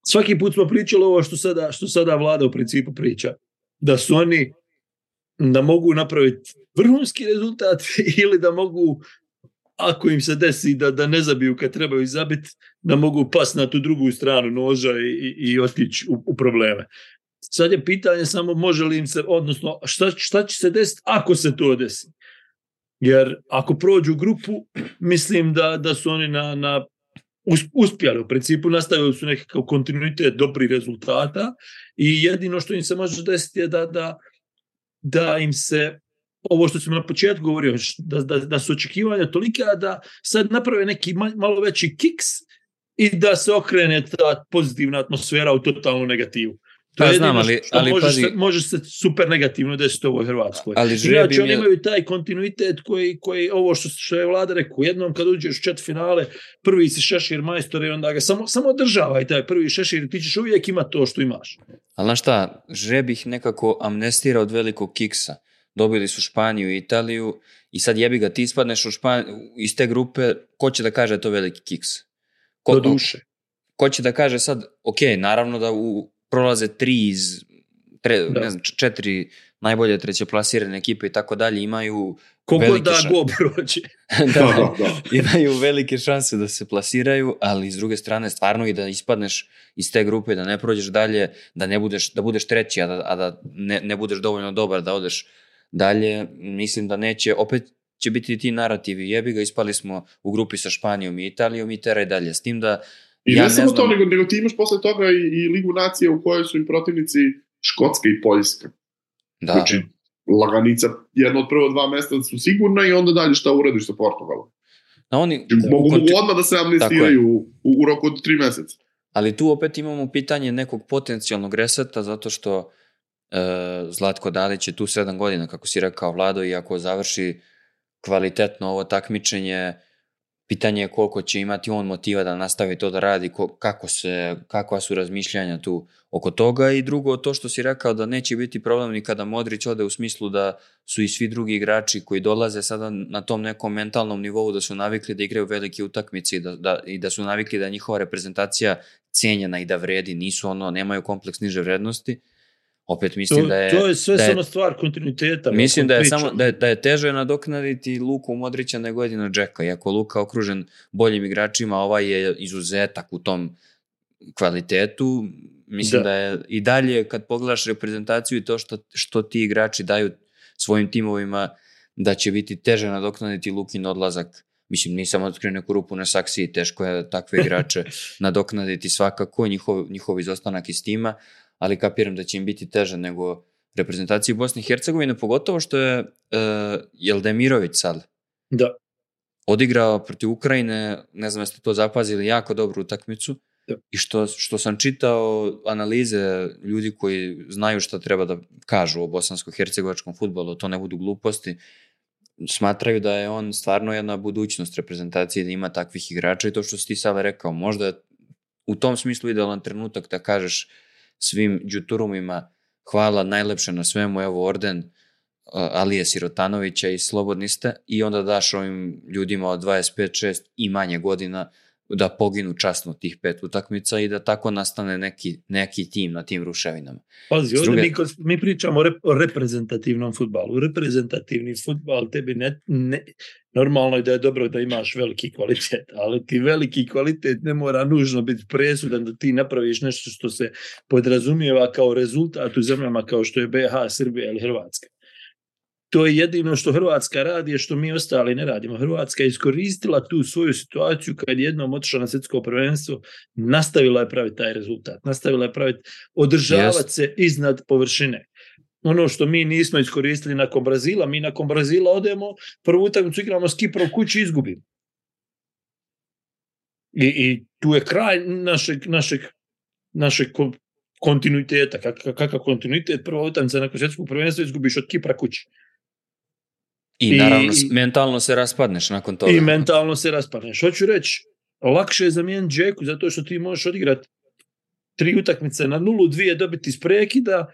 svaki put smo pričali ovo što sada vlada u principu priča, da su oni da mogu napraviti vrhunski rezultat ili da mogu, ako im se desi da ne zabiju kad trebaju zabiti, da mogu pas na tu drugu stranu noža i otići u probleme. Sad je pitanje samo može li im se, odnosno šta će se desiti ako se to desi. Jer ako prođu grupu, mislim da su oni uspjeli. U principu nastavili su nekakav kontinuitet dobrih rezultata i jedino što im se može desiti je da im se, ovo što sam na početku govorio, da su očekivanja tolika da sad naprave neki malo veći kiks i da se okrene ta pozitivna atmosfera u totalnu negativu. To je znam, ali može se super negativno desiti u ovoj Hrvatskoj. Inače, oni imaju taj kontinuitet koji ovo što je vlada rekao, jednom kad uđeš u četvrtfinale, prvi si šešir majstor i onda ga samo održavaj taj prvi šešir, ti ćeš uvijek imati to što imaš.
Ali znaš šta, žreb ih nekako amnestira od velikog kiksa. Dobili su Španiju i Italiju i sad jebi ga, ti ispadneš iz te grupe, ko će da kaže to veliki kiks?
Do duše.
Ko će da kaže sad, ok, naravno da prolaze 3 iz 4 najbolje trećeplasirane ekipe i tako dalje, imaju
koliko da go prođe.
da, imaju velike šanse da se plasiraju, ali s druge strane stvarno i da ispadneš iz te grupe, da ne prođeš dalje, da budeš treći, a da ne budeš dovoljno dobar da odeš dalje, mislim da neće, opet će biti ti narativi, jebi ga, ispali smo u grupi sa Španijom i Italijom i teraj dalje, s tim da
i ne samo to, nego ti imaš posle toga i Ligu nacije u kojoj su im protivnici Škotska i Poljska.
Da.
Znači, laganica, jedno od prvo 2 mesta su sigurna i onda dalje šta uradiš sa Portugalom. Mogu odmah da se amnestiraju u roku od 3 meseca.
Ali tu opet imamo pitanje nekog potencijalnog reseta, zato što Zlatko Dalić je tu 7 godina, kako si rekao, Vlado, i ako završi kvalitetno ovo takmičenje, pitanje je koliko će imati on motiva da nastavi to da radi, kakva su razmišljanja tu oko toga. I drugo, to što si rekao da neće biti problem ni kada Modrić ode, u smislu da su i svi drugi igrači koji dolaze sada na tom nekom mentalnom nivou, da su navikli da igraju velike utakmice i da su navikli da je njihova reprezentacija cijenjena i da vredi, nemaju kompleks niže vrednosti. Opet mislim da je...
To je sve samo stvar kontinuiteta.
Mislim da je teže nadoknaditi Luku Modrića nego jedino Džeka. Iako Luka okružen boljim igračima, ovaj je izuzetak u tom kvalitetu. Mislim da je i dalje, kad pogledaš reprezentaciju i to što ti igrači daju svojim timovima, da će biti teže nadoknaditi Lukin odlazak. Mislim, nisam otkrio neku rupu na saksiji, teško je takve igrače nadoknaditi svakako, njihov izostanak iz tima, ali kapiram da će im biti teže nego reprezentaciji Bosne i Hercegovine, pogotovo što je Jeldemirović sad odigrao protiv Ukrajine, ne znam jeste to zapazili, jako dobru utakmicu. I što sam čitao analize ljudi koji znaju šta treba da kažu o bosansko-hercegovačkom fudbalu, to ne budu gluposti, smatraju da je on stvarno jedna budućnost reprezentacije, da ima takvih igrača i to što si ti sada rekao, možda u tom smislu idealan trenutak da kažeš svim džuturumima hvala najlepše na svemu, evo orden Alije Sirotanovića i slobodni ste, i onda daš ovim ljudima od 25, 6 i manje godina da poginu časno tih 5 utakmica i da tako nastane neki tim na tim ruševinama.
Pazi, ovdje mi pričamo o reprezentativnom fudbalu. Reprezentativni fudbal tebi normalno je da je dobro da imaš veliki kvalitet, ali ti veliki kvalitet ne mora nužno biti presudan da ti napraviš nešto što se podrazumijeva kao rezultat u zemljama kao što je BiH, Srbija ili Hrvatska. To je jedino što Hrvatska radi, je što mi ostali ne radimo. Hrvatska je iskoristila tu svoju situaciju kad jednom otišla na svjetsko prvenstvo, nastavila je praviti taj rezultat, nastavila je praviti, održavati se iznad površine. Ono što mi nismo iskoristili nakon Brazila, mi nakon Brazila odemo, prvu utakmicu igramo s Kiprom kući i izgubimo. I tu je kraj našeg kontinuiteta. Kakav kontinuitet? Prva utakmica nakon svjetskog prvenstva izgubiš od Kipra kući.
I naravno mentalno se raspadneš nakon toga.
I mentalno se raspadneš. Hoću reći, lakše je zamijeniti Džeku zato što ti možeš odigrati 3 utakmice na 0, 2 dobiti iz prekida,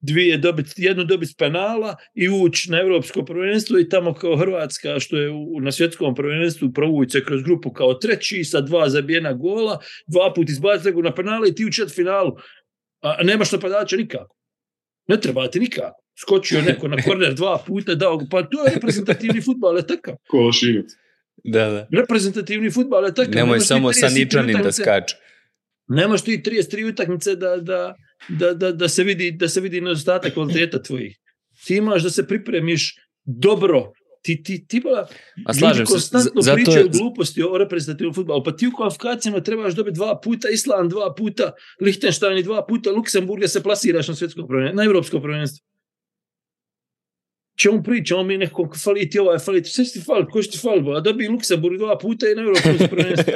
2 dobiti, 1 dobiti iz penala i ući na evropsko prvenstvo i tamo kao Hrvatska što je na svjetskom prvenstvu provući se kroz grupu kao treći sa 2 zabijena gola, 2 puta izbaciti na penale i ti u četvrtfinalu. A nemaš napadača nikako. Ne treba ti nikako. Skočio neko na korner 2 puta, dao, pa to je reprezentativni fudbal, je takav.
Košinac.
Da.
Reprezentativni fudbal je takav.
Nemoj samo sa Ničanin da skače.
Nemaš ti 33 utakmice da se vidi nedostatak kvaliteta tvojih. Ti imaš da se pripremiš dobro. Ti bila, ljudi konstantno pričaju gluposti o reprezentativnom fudbalu, pa ti u kvalifikacijama trebaš dobiti 2 puta, Island 2 puta, Lichtenstein 2 puta, Luksemburga se plasiraš na svjetsko prvenstvo, na evropsko prvenstvo. Čemu pričamo mi nekom fali ti ovaj, fali ti, sve ti fali, ko ti fali, a dobije Luksemburg 2 puta i na evropsko prvenstvo.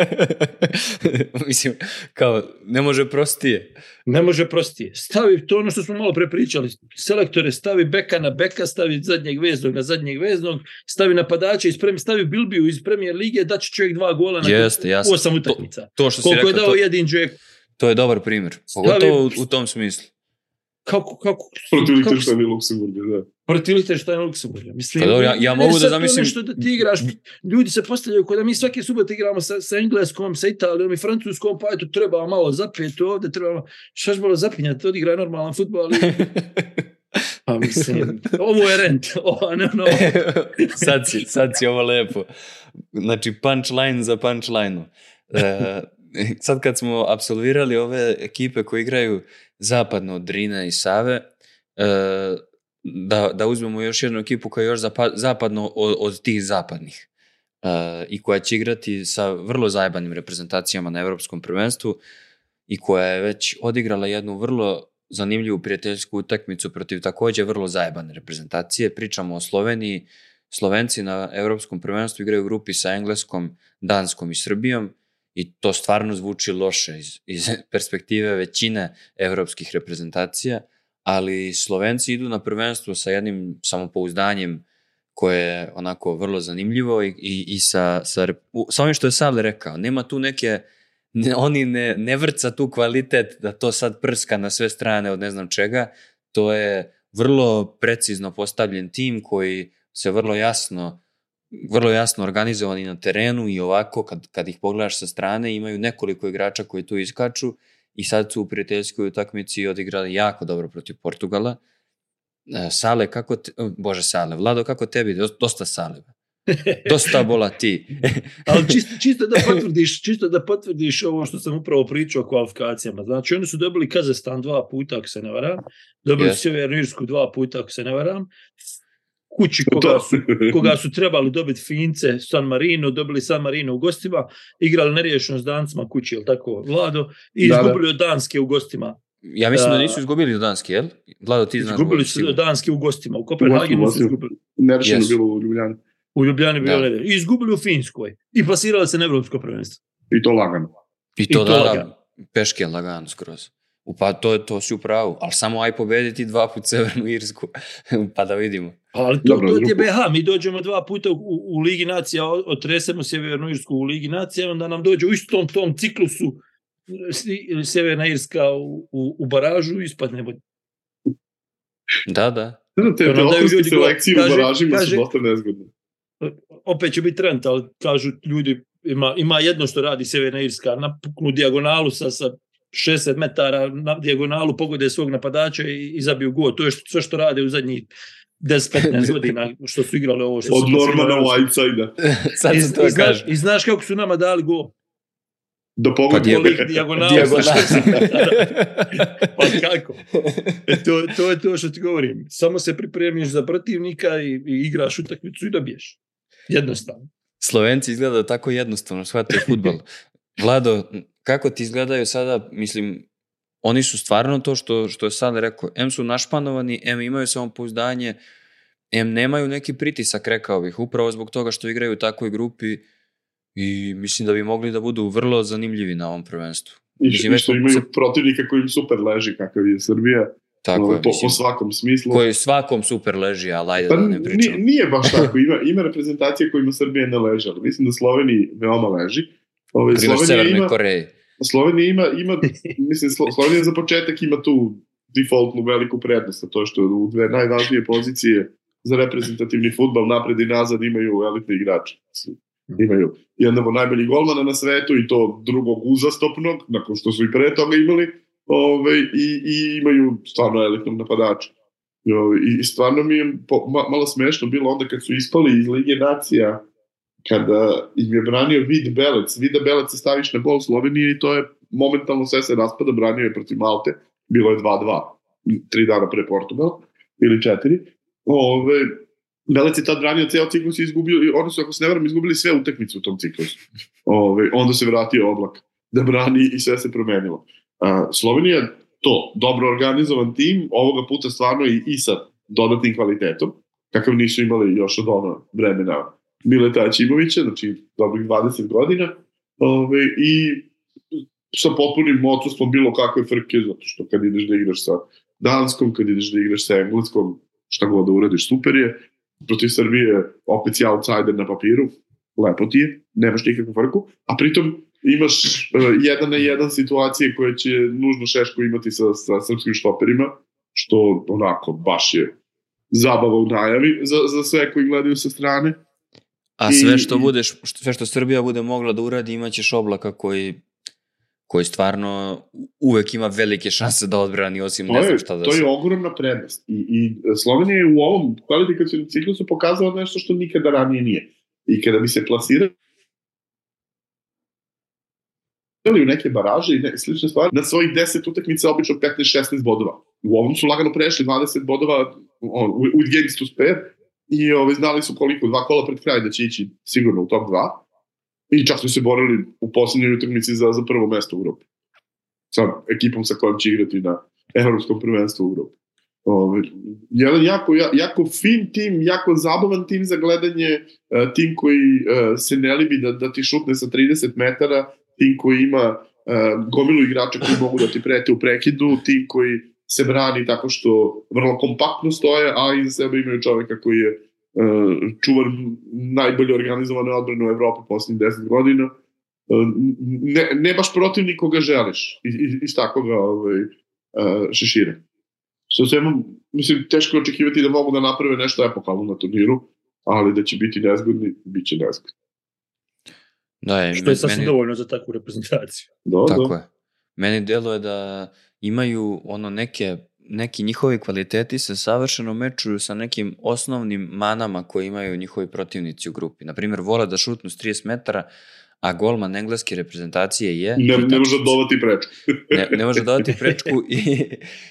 Mislim, kao, ne može prostije.
Ne može prostije. Stavi to ono što smo malo prepričali. Selektore, stavi beka na beka, stavi zadnjeg veznog na zadnjeg veznog, stavi napadača, stavi Bilbiju iz Premier lige, da će čovjek 2 gola na 8 utakmica.
To što si
koliko
rekao,
je dao jedin Džek.
To je dobar primjer. Pogotovo u tom smislu.
Protiv Lichtensteina i Luksemburga, da.
Protiv Lichtensteina i Luksemburga. Mislim,
ja mogu da zamislim...
Nešto da ti igraš, ljudi se postavljaju kada mi svake subote igramo sa Engleskom, sa Italijom i Francuskom, pa eto treba malo zapijeti ovdje, treba šta će malo zapinjati, odigraj normalan futbol. Pa mislim, ovo je rent.
Sad si ovo lepo. Znači punchline za punchline. Sad kad smo apsolvirali ove ekipe koje igraju zapadno od Drine i Save, da uzmemo još jednu ekipu koja je još zapadno od tih zapadnih i koja će igrati sa vrlo zajebanim reprezentacijama na evropskom prvenstvu i koja je već odigrala jednu vrlo zanimljivu prijateljsku utakmicu protiv također vrlo zajebane reprezentacije. Pričamo o Sloveniji. Slovenci na evropskom prvenstvu igraju u grupi sa Engleskom, Danskom i Srbijom. I to stvarno zvuči loše iz perspektive većine evropskih reprezentacija, ali Slovenci idu na prvenstvo sa jednim samopouzdanjem koje je onako vrlo zanimljivo i sa ovim što je Sale rekao. Nema tu oni ne vrca tu kvalitet da to sad prska na sve strane od ne znam čega. To je vrlo precizno postavljen tim koji se vrlo jasno organizovani na terenu i ovako kad ih pogledaš sa strane imaju nekoliko igrača koji tu iskaču i sad su u prijateljskoj utakmici odigrali jako dobro protiv Portugala. Sale, Vlado, kako tebi? Dosta Sale. Dosta bola ti.
Ali čisto da potvrdiš ovo što sam upravo pričao o kvalifikacijama. Znači oni su dobili Kazahstan 2 puta ako se ne varam, dobili Sjevernu Irsku 2 puta ako se ne varam, kući koga su trebali dobiti Fince, San Marino, dobili San Marino u gostima, igrali neriješeno s Dancima kući, jel tako, Vlado, i izgubili od Danske u gostima.
Ja mislim da nisu izgubili od Danske, jel? Vlado, ti znaš.
Izgubili su od Danske u gostima, u Kopenhagenu su izgubili.
Nerešeno bilo u Ljubljani.
U Ljubljani bilo nerešeno. I izgubili u Finskoj. I plasirali se na evropsko prvenstvo.
I to lagano.
I to lagano. Peške lagano skroz. Pa to si u pravu, ali samo aj pobediti 2 puta Severnu Irsku, pa da vidimo.
Ali to je BiH, mi dođemo 2 puta u Ligi nacija, otresemo Sjevernu Irsku u Ligi nacija, onda nam dođe u istom tom ciklusu Sjeverna Irska u baražu i ispadnemo.
Da.
Te okolske selekcije u baražima su dosta nezgodne.
Opet će biti trend, ali kažu ljudi, ima jedno što radi Sjeverna Irska, napuknu dijagonalu sa 60 metara na dijagonalu, pogode svog napadača i zabiju gol. To je sve što rade u zadnjih 10-15 godina što su igrali ovo. Što
od Normana Whiteside-a.
I znaš kako su nama dali gol?
Da pogodi
dijagonalu. Pa kako? To je to što ti govorim. Samo se pripremiš za protivnika i igraš utakmicu i dobiješ. Jednostavno.
Slovenci izgledaju tako jednostavno, shvataju fudbal. Vlado, kako ti izgledaju sada, mislim, oni su stvarno to što je sad rekao, M su našpanovani, M imaju samopouzdanje, M nemaju neki pritisak, rekao bih, upravo zbog toga što igraju u takvoj grupi i mislim da bi mogli da budu vrlo zanimljivi na ovom prvenstvu.
I što imaju protivnika koji im super leži, kakav je Srbija.
Tako je,
po svakom smislu.
Koji svakom super leži, ali ajde da ne pričam.
Nije baš tako, ima reprezentacije kojima Srbija ne leži, ali mislim da Sloveniji veoma leži.
Primjer Severnoj Koreji.
Slovenija ima mislim, Slovenija za početak ima tu defaultnu veliku prednost, a to je što u dve najvažnije pozicije za reprezentativni fudbal napred i nazad imaju elitni igrači. Imaju jednog od najboljih golmana na svetu i to drugog uzastopnog, nakon što su i pre toga imali, i imaju stvarno elitnog napadača. I stvarno mi je malo smešno bilo onda kad su ispali iz Lige nacija, kada im je branio Vida Belec se staviš na gol Slovenije i to je momentalno sve se raspada, branio je protiv Malte, bilo je 2-2, 3 dana pre Portugala, ili 4. Belec je tad branio ceo ciklus i izgubio, oni su, ako se ne varam, izgubili sve utakmice u tom ciklusu. Onda se vratio Oblak da brani i sve se promenilo. Slovenija to, dobro organizovan tim, ovoga puta stvarno i sa dodatnim kvalitetom, kakav nisu imali još od ono vremena Mileta Aćimovića, znači dobrih 20 godina, i sa potpunim modsustvom bilo kakve frke, zato što kad ideš da igraš sa Danskom, kad ideš da igraš sa Engleskom, šta god da uradiš, super je. Protiv Srbije opet si outsider na papiru, lepo ti je, nemaš nikakvu frku, a pritom imaš 1-1 situacije koje će nužno Šeško imati sa srpskim štoperima, što onako baš je zabava u najavi za sve koji gledaju sa strane.
A sve što Srbija bude mogla da uradi, imaćeš Oblaka koji stvarno uvek ima velike šanse da odbrani, osim ne znam šta da se...
To je ogromna prednost. I Slovenija je u ovom kvalifikacijnom ciklusu pokazala nešto što nikada ranije nije. I kada bi se plasirali u neke baraže i slične stvari, na svojih 10 utakmica obično 15-16 bodova. U ovom su lagano prešli 20 bodova with games to spare i znali su koliko, 2 kola pred kraj da će ići sigurno u top 2. I čak su se borili u posljednjoj utakmici za prvo mesto u Evropi. Sa ekipom sa kojom će igrati na Evropskom prvenstvu u Evropi. Jedan jako fin tim, jako zabavan tim za gledanje, tim koji se ne libi da ti šutne sa 30 metara, tim koji ima gomilu igrača koji mogu da ti prete u prekidu, tim koji se brani tako što vrlo kompaktno stoje, a iza sebe imaju čoveka koji je čuvar najbolje organizovane odbrane u Evropi posljednjih 10 godina. Ne baš protivnik koga želiš iz takvoga šešira. Što se mislim, teško očekivati da mogu da naprave nešto epohalno na turniru, ali da će biti nezgodni, bit će nezgodni.
Što je sasvim dovoljno za takvu reprezentaciju.
Tako je. Meni deluje da imaju neki njihovi kvaliteti se savršeno mečuju sa nekim osnovnim manama koje imaju njihovi protivnici u grupi. Naprimjer, vole da šutnu s 30 metara, a golman engleske reprezentacije je...
Ne može dodati prečku.
Ne može dodati prečku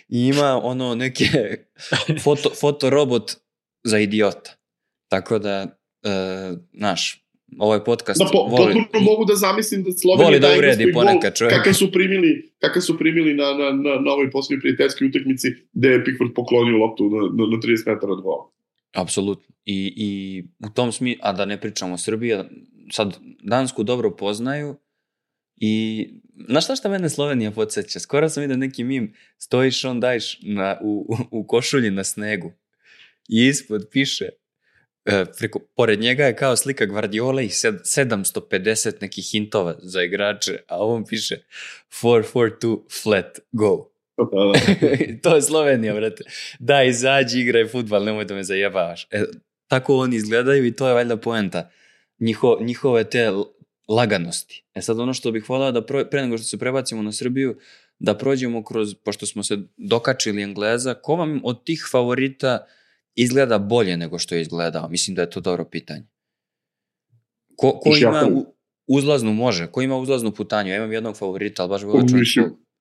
i ima neke fotorobot za idiota. Tako da, ovaj podcast
potpuno mogu da zamislim da Slovenija
da uredi ponekad čovjek.
Kakav su primili na ovoj posljednjoj prijateljskoj utakmici gde je Pickford poklonio loptu na 30 metara od gola.
Apsolutno. I u tom smislu, a da ne pričamo, Srbija sad Dansku dobro poznaju i znaš šta mene Slovenija podsjeća? Skoro sam vidio neki mim, stojiš daješ u košulji na snegu i ispod piše pored njega je kao slika Guardiola i 750 nekih hintova za igrače, a ovom piše 4-4-2 flat go. To je Slovenija, brate. Da, izađi, igraj fudbal, nemoj da me zajebavaš. Tako oni izgledaju i to je valjda poenta. Njihove te laganosti. Sad ono što bih volao da pre nego što se prebacimo na Srbiju, da prođemo kroz, pošto smo se dokačili Engleza, ko vam od tih favorita izgleda bolje nego što je izgledao? Mislim da je to dobro pitanje. Ko ima uzlaznu, ko ima uzlaznu putanju? Ja imam jednog favorita, ali baš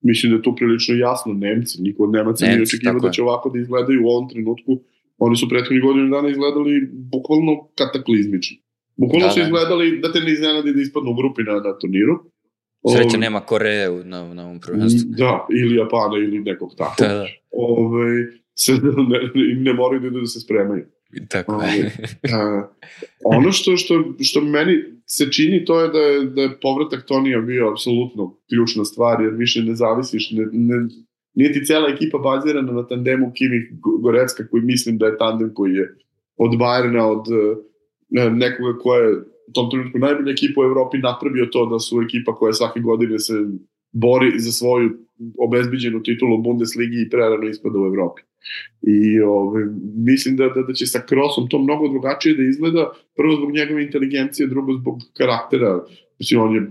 mislim da je to prilično jasno. Nemci, niko od Nemaca nije očekivao da će ovako da izgledaju u ovom trenutku. Oni su prethodnih godina dana izgledali bukvalno kataklizmično. Bukvalno su izgledali da te ne iznenadi da ispadnu u grupi na turniru.
Sreća nema Koreje na ovom prvenstvu.
Da, ili Japana ili nekog tako.
Da.
Ne moraju da se spremaju.
Tako je.
Ono što meni se čini to je da je povratak Tonija bio apsolutno ključna stvar, jer više ne zavisiš, nije ti cela ekipa bazirana na tandemu Kimmich-Goretzka, koji mislim da je tandem koji je od Bayerna, od nekoga ko je u tom trenutku najbolja ekipa u Evropi napravio to da su ekipa koja svake godine se bori za svoju obezbeđenu titulu u Bundesligi i prerano ispada u Evropi. I mislim da će sa Krossom to mnogo drugačije da izgleda, prvo zbog njegove inteligencije, drugo zbog karaktera. Mislim, on je,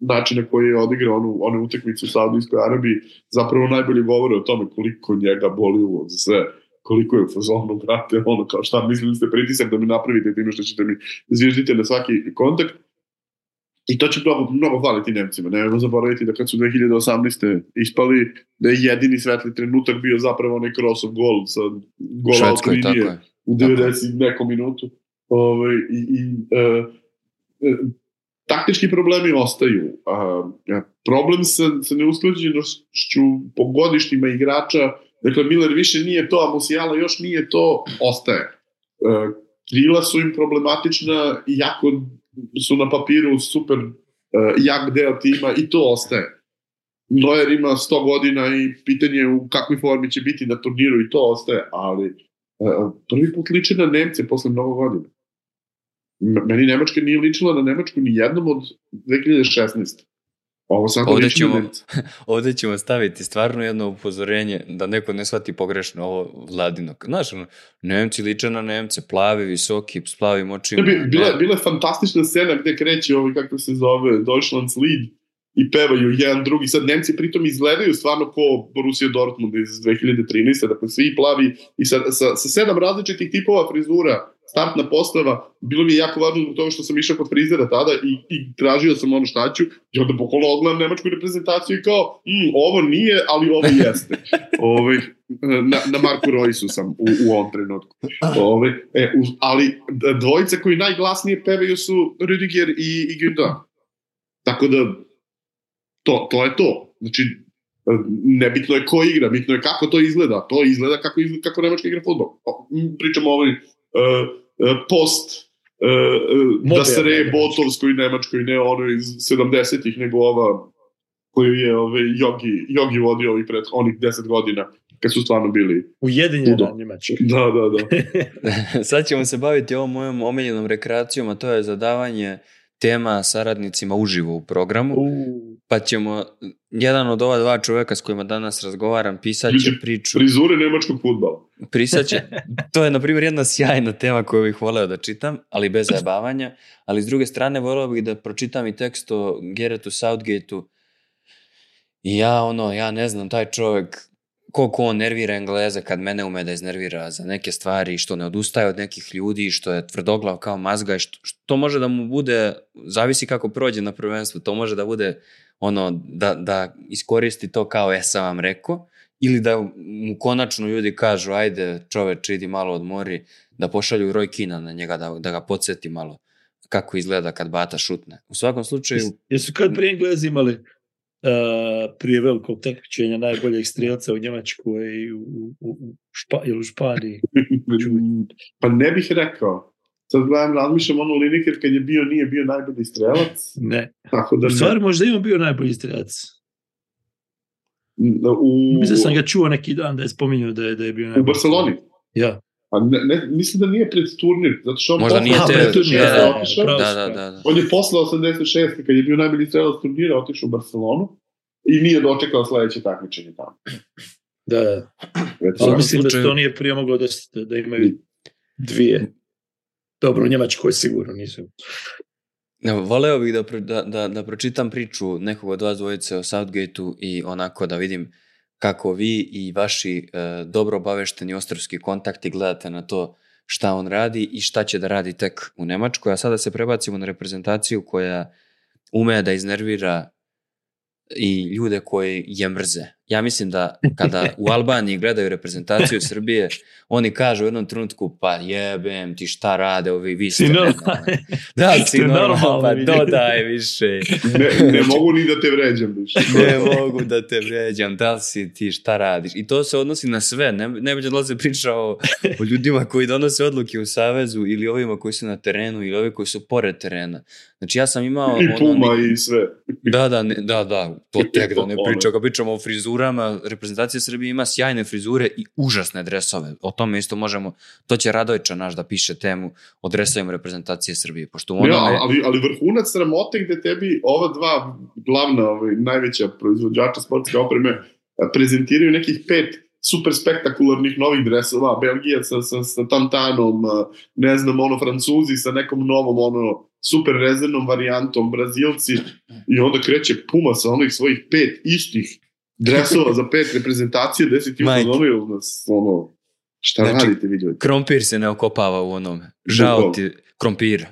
način na koji je odigrao one utakmice u Saudijskoj Arabiji zapravo najbolje govore o tome koliko njega boli uvod za sve, koliko je u fazonu, brate, kao šta mislili ste pritisak da mi napravite time što ćete mi zviždite na svaki kontakt. I to će mnogo hvaliti Nemcima. Nemojmo zaboraviti da kad su 2018. ispali, da je jedini svetli trenutak bio zapravo onaj Krossov gol sa gola od linije u 90 nekom minutu. Taktički problemi ostaju. Problem sa neusklađenošću po godištima igrača, dakle Miller više nije to, a Musiala još nije to, ostaje. Krila su im problematična, iako su na papiru super jak deo tima i to ostaje. Neuer ima 100 godina i pitanje u kakvoj formi će biti na turniru i to ostaje, ali prvi put liče na Nemce posle mnogo godina. Meni Nemačka nije ličila na Nemačku ni jednom od 2016.
Ovdje ćemo staviti stvarno jedno upozorenje da neko ne shvati pogrešno ovo Vladino. Znaš, Nemci liče na Nemce, plavi, visoki, s plavim očima.
Bila je fantastična scena gde kreće kako se zove Deutschlandslied i pevaju jedan drugi. Sad Nemci pritom izgledaju stvarno ko Borussia Dortmund iz 2013. Dakle, svi plavi i sa 7 različitih tipova frizura, startna postava, bilo mi je jako važno zbog toga što sam išao kod frizera tada i tražio sam ono šta ću i onda pokolno odgledam nemačku reprezentaciju i kao, ovo nije, ali ovo jeste. Na Marku Roysu sam u ovom trenutku. Ali dvojica koji najglasnije pevaju su Rüdiger i Gündogan. Tako da to je to. Znači, nebitno je ko igra, bitno je kako to izgleda. To izgleda kako Nemačka igra fudbal. Pričamo o ovoj post da se reje Botovskoj Nemačkoj, ne ono iz 70-ih, nego ova koju je Jogi vodio onih 10 godina kad su stvarno bili
ujedinjena Njemačka.
Da.
Sad ćemo se baviti ovom mojom omiljenom rekreacijom, a to je zadavanje tema saradnicima uživo u programu. Pa ćemo, jedan od ova dva čoveka s kojima danas razgovaram, pisat će priču.
Frizure nemačkog fudbala.
To je, na primjer, jedna sjajna tema koju bih voleo da čitam, ali bez zajebavanja. Ali s druge strane, voleo bih da pročitam i tekst o Garethu Southgateu. I ja ne znam, taj čovjek, koliko on nervira Engleze kad mene ume da iznervira za neke stvari, što ne odustaje od nekih ljudi, što je tvrdoglav kao mazga i što može da mu bude, zavisi kako prođe na prvenstvu, to može da bude da iskoristi to kao sam vam rekao, ili da mu konačno ljudi kažu ajde čoveč idi malo odmori, da pošalju Roy Keane na njega, da ga podsjeti malo kako izgleda kad Bata šutne. U svakom slučaju...
Jesu kad prije Englezi imali prije velikog takmičenja najboljeg strijelca u Njemačkoj i u Španiji?
Pa ne bih rekao. Sad razmišljam Lineker kad je nije bio najbolji strelac.
Ne. U stvari možda ima bio najbolji strelac. Mislim sam ga čuo neki dan da je spominjao da je bio najbolji.
U Barceloni?
Ja.
A mislim da nije pred turnir, zato što on
možda nije
Da. On je posle 86. kad je bio najbolji strelac turnira otišao u Barcelonu i nije dočekao sledeće takmičenje tamo.
Da. Mislim da to nije prije moglo da imaju dvije. Dobro, u Njemačkoj sigurno nisu.
Voleo bih da pročitam priču nekog od vas dvojice o Southgateu i onako da vidim kako vi i vaši dobro obavešteni ostrvski kontakti gledate na to šta on radi i šta će da radi tek u Nemačkoj. A sada se prebacimo na reprezentaciju koja ume da iznervira i ljude koji je mrze. Ja mislim da kada u Albaniji gledaju reprezentaciju Srbije, oni kažu u jednom trenutku, pa jebem ti šta rade ovi, vi ste normalni. Da, si normalno, pa dodaj više.
Ne mogu ni da te vređam više.
Ne mogu da te vređam, da li si ti, šta radiš? I to se odnosi na sve. Ne bi dolaze priča o ljudima koji donose odluke u savezu ili ovima koji su na terenu ili ovi koji su pored terena. Znači ja sam imao...
I Puma i sve.
Da, to tek da ne pričam. Kad pričamo o frizurama, reprezentacija Srbije ima sjajne frizure i užasne dresove. O tome isto možemo, to će Radojča naš da piše temu o dresovima reprezentacije Srbije. Pošto
ali vrhunac sramote gde tebi ova dva glavna, najveća proizvođača sportske opreme prezentiraju nekih 5 super spektakularnih novih dresova, Belgija sa tantanom, ne znam, Francuzi sa nekom novom, super rezervnom varijantom, Brazilci, i onda kreće Puma sa onih svojih 5 istih dresova za 5 reprezentacije, 10 uzonio nas, šta znači, radite, vidjeti?
Krompir se ne okopava u onome. Žao ti krompira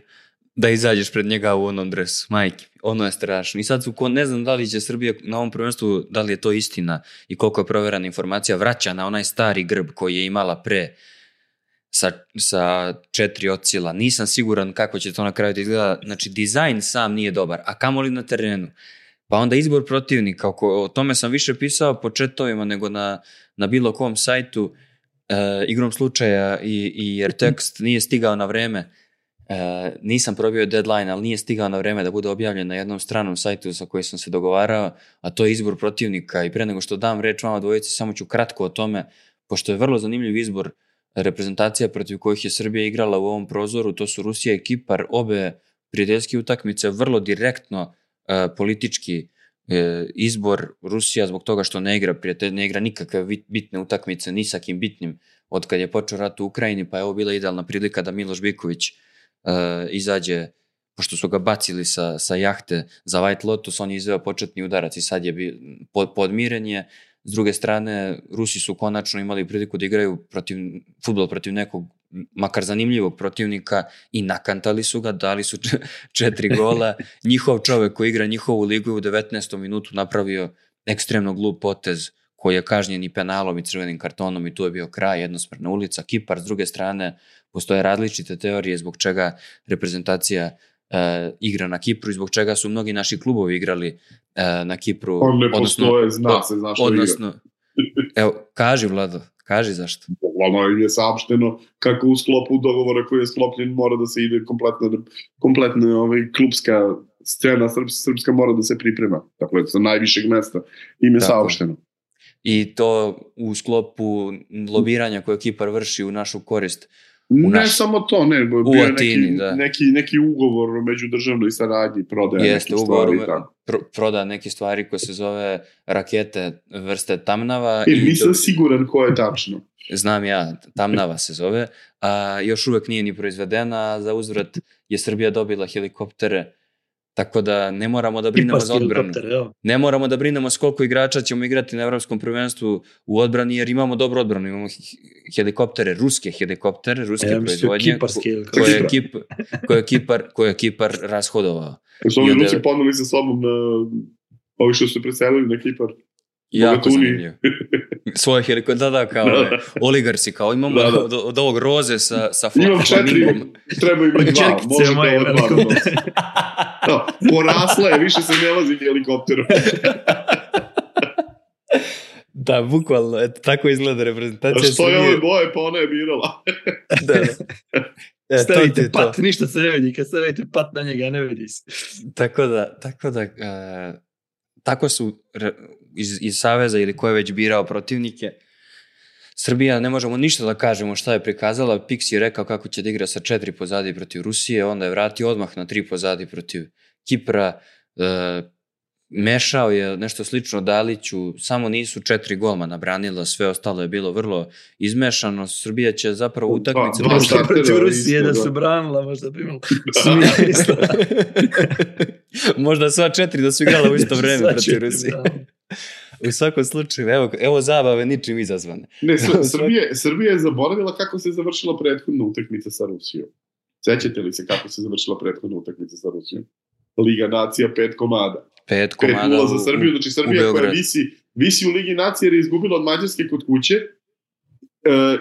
da izađeš pred njega u onom dresu. Majke, ono je strašno. I sad ne znam da li će Srbija na ovom prvenstvu, da li je to istina i koliko je proverana informacija, vraća na onaj stari grb koji je imala pre sa 4 ocila. Nisam siguran kako će to na kraju da izgleda. Znači, dizajn sam nije dobar, a kamoli na terenu. Pa onda izbor protivnika, o tome sam više pisao po chatovima nego na bilo kom sajtu. Igrom slučaja jer tekst nije stigao na vreme. Nisam probio deadline, ali nije stigao na vreme da bude objavljen na jednom stranom sajtu sa kojim sam se dogovarao, a to je izbor protivnika. I pre nego što dam reč vama dvojici, samo ću kratko o tome, pošto je vrlo zanimljiv izbor reprezentacija protiv kojih je Srbija igrala u ovom prozoru. To su Rusija i Kipar, obe prijateljske utakmice, vrlo direktno politički izbor. Rusija zbog toga što ne igra nikakve bitne utakmice ni sa kim bitnim od kad je počeo rat u Ukrajini, pa je ovo bila idealna prilika da Miloš Biković izađe, pošto su ga bacili sa jahte za White Lotus, on je izveo početni udarac i sad je podmirenje. S druge strane, Rusi su konačno imali priliku da igraju fudbal protiv nekog makar zanimljivog protivnika i nakantali su ga, dali su 4 gola. Njihov čovek koji igra njihovu ligu u 19. minutu napravio ekstremno glup potez koji je kažnjen i penalom i crvenim kartonom i tu je bio kraj, jednosmerna ulica. Kipar, s druge strane, postoje različite teorije zbog čega reprezentacija igra na Kipru i zbog čega su mnogi naši klubovi igrali na Kipru.
On ne postoje, zna se zašto igra.
Evo, kaži Vlado, kaži zašto.
Ono je saopšteno kako u sklopu dogovora koji je sklopljen mora da se ide kompletna klubska scena srpska mora da se priprema. Dakle, sa najvišeg mesta im je saopšteno.
I to u sklopu lobiranja koje Kipar vrši u našu korist.
Samo to, ne, bio je neki ugovor o međudržavnoj saradnji, prodaja nekih stvari.
Proda neke stvari koje se zove rakete vrste Tamnava.
Nisam siguran ko je tačno.
Znam ja, Tamnava se zove, a još uvek nije ni proizvedena, a za uzvrat je Srbija dobila helikoptere, tako da ne moramo da brinemo za odbranu. Ne moramo da brinemo s koliko igrača ćemo igrati na Evropskom prvenstvu u odbrani, jer imamo dobru odbranu. Imamo helikoptere, ruske proizvodnje, koje je Kipar rashodovao.
Su ovi Rusi ponuli sa sobom ovi što su preselili na Kipar?
Jako zanimljivo. Svoje helikoptere, kao oligarsi, kao imamo od ovog roze sa
imam 4, treba imati 2, možete ovo 2. Porasla je, više se ne vozi helikopterom.
Da, bukvalno, tako izgleda reprezentacija.
Što je ove boje, pa ona je birala.
Stavite pat, ništa se ne vidi, kad stavite pat na njega, ne vidi se.
Tako su iz Saveza ili ko je već birao protivnike. Srbija, ne možemo ništa da kažemo šta je prikazala. Pix je rekao kako će da igra sa 4 pozadi protiv Rusije, onda je vratio odmah na 3 pozadi protiv Kipra. mešao je nešto slično Daliću, samo nisu 4 golmana branila, sve ostalo je bilo vrlo izmešano. Srbija će zapravo utakmice...
Protiv Rusije da su branila, možda bi imalo smisla.
Možda sva 4 da su igrala u isto vreme protiv Rusije. U svakom slučaju, evo zabave ničim izazvane.
Ne, Srbija je zaboravila kako se završila prethodna utakmica sa Rusijom. Sećate li se kako se završila prethodna utakmica sa Rusijom? Liga nacija 5 komada.
5 komada
5-0 za Srbiju, znači Srbija koja visi u Ligi nacije jer je izgubila od Mađarske kod kuće,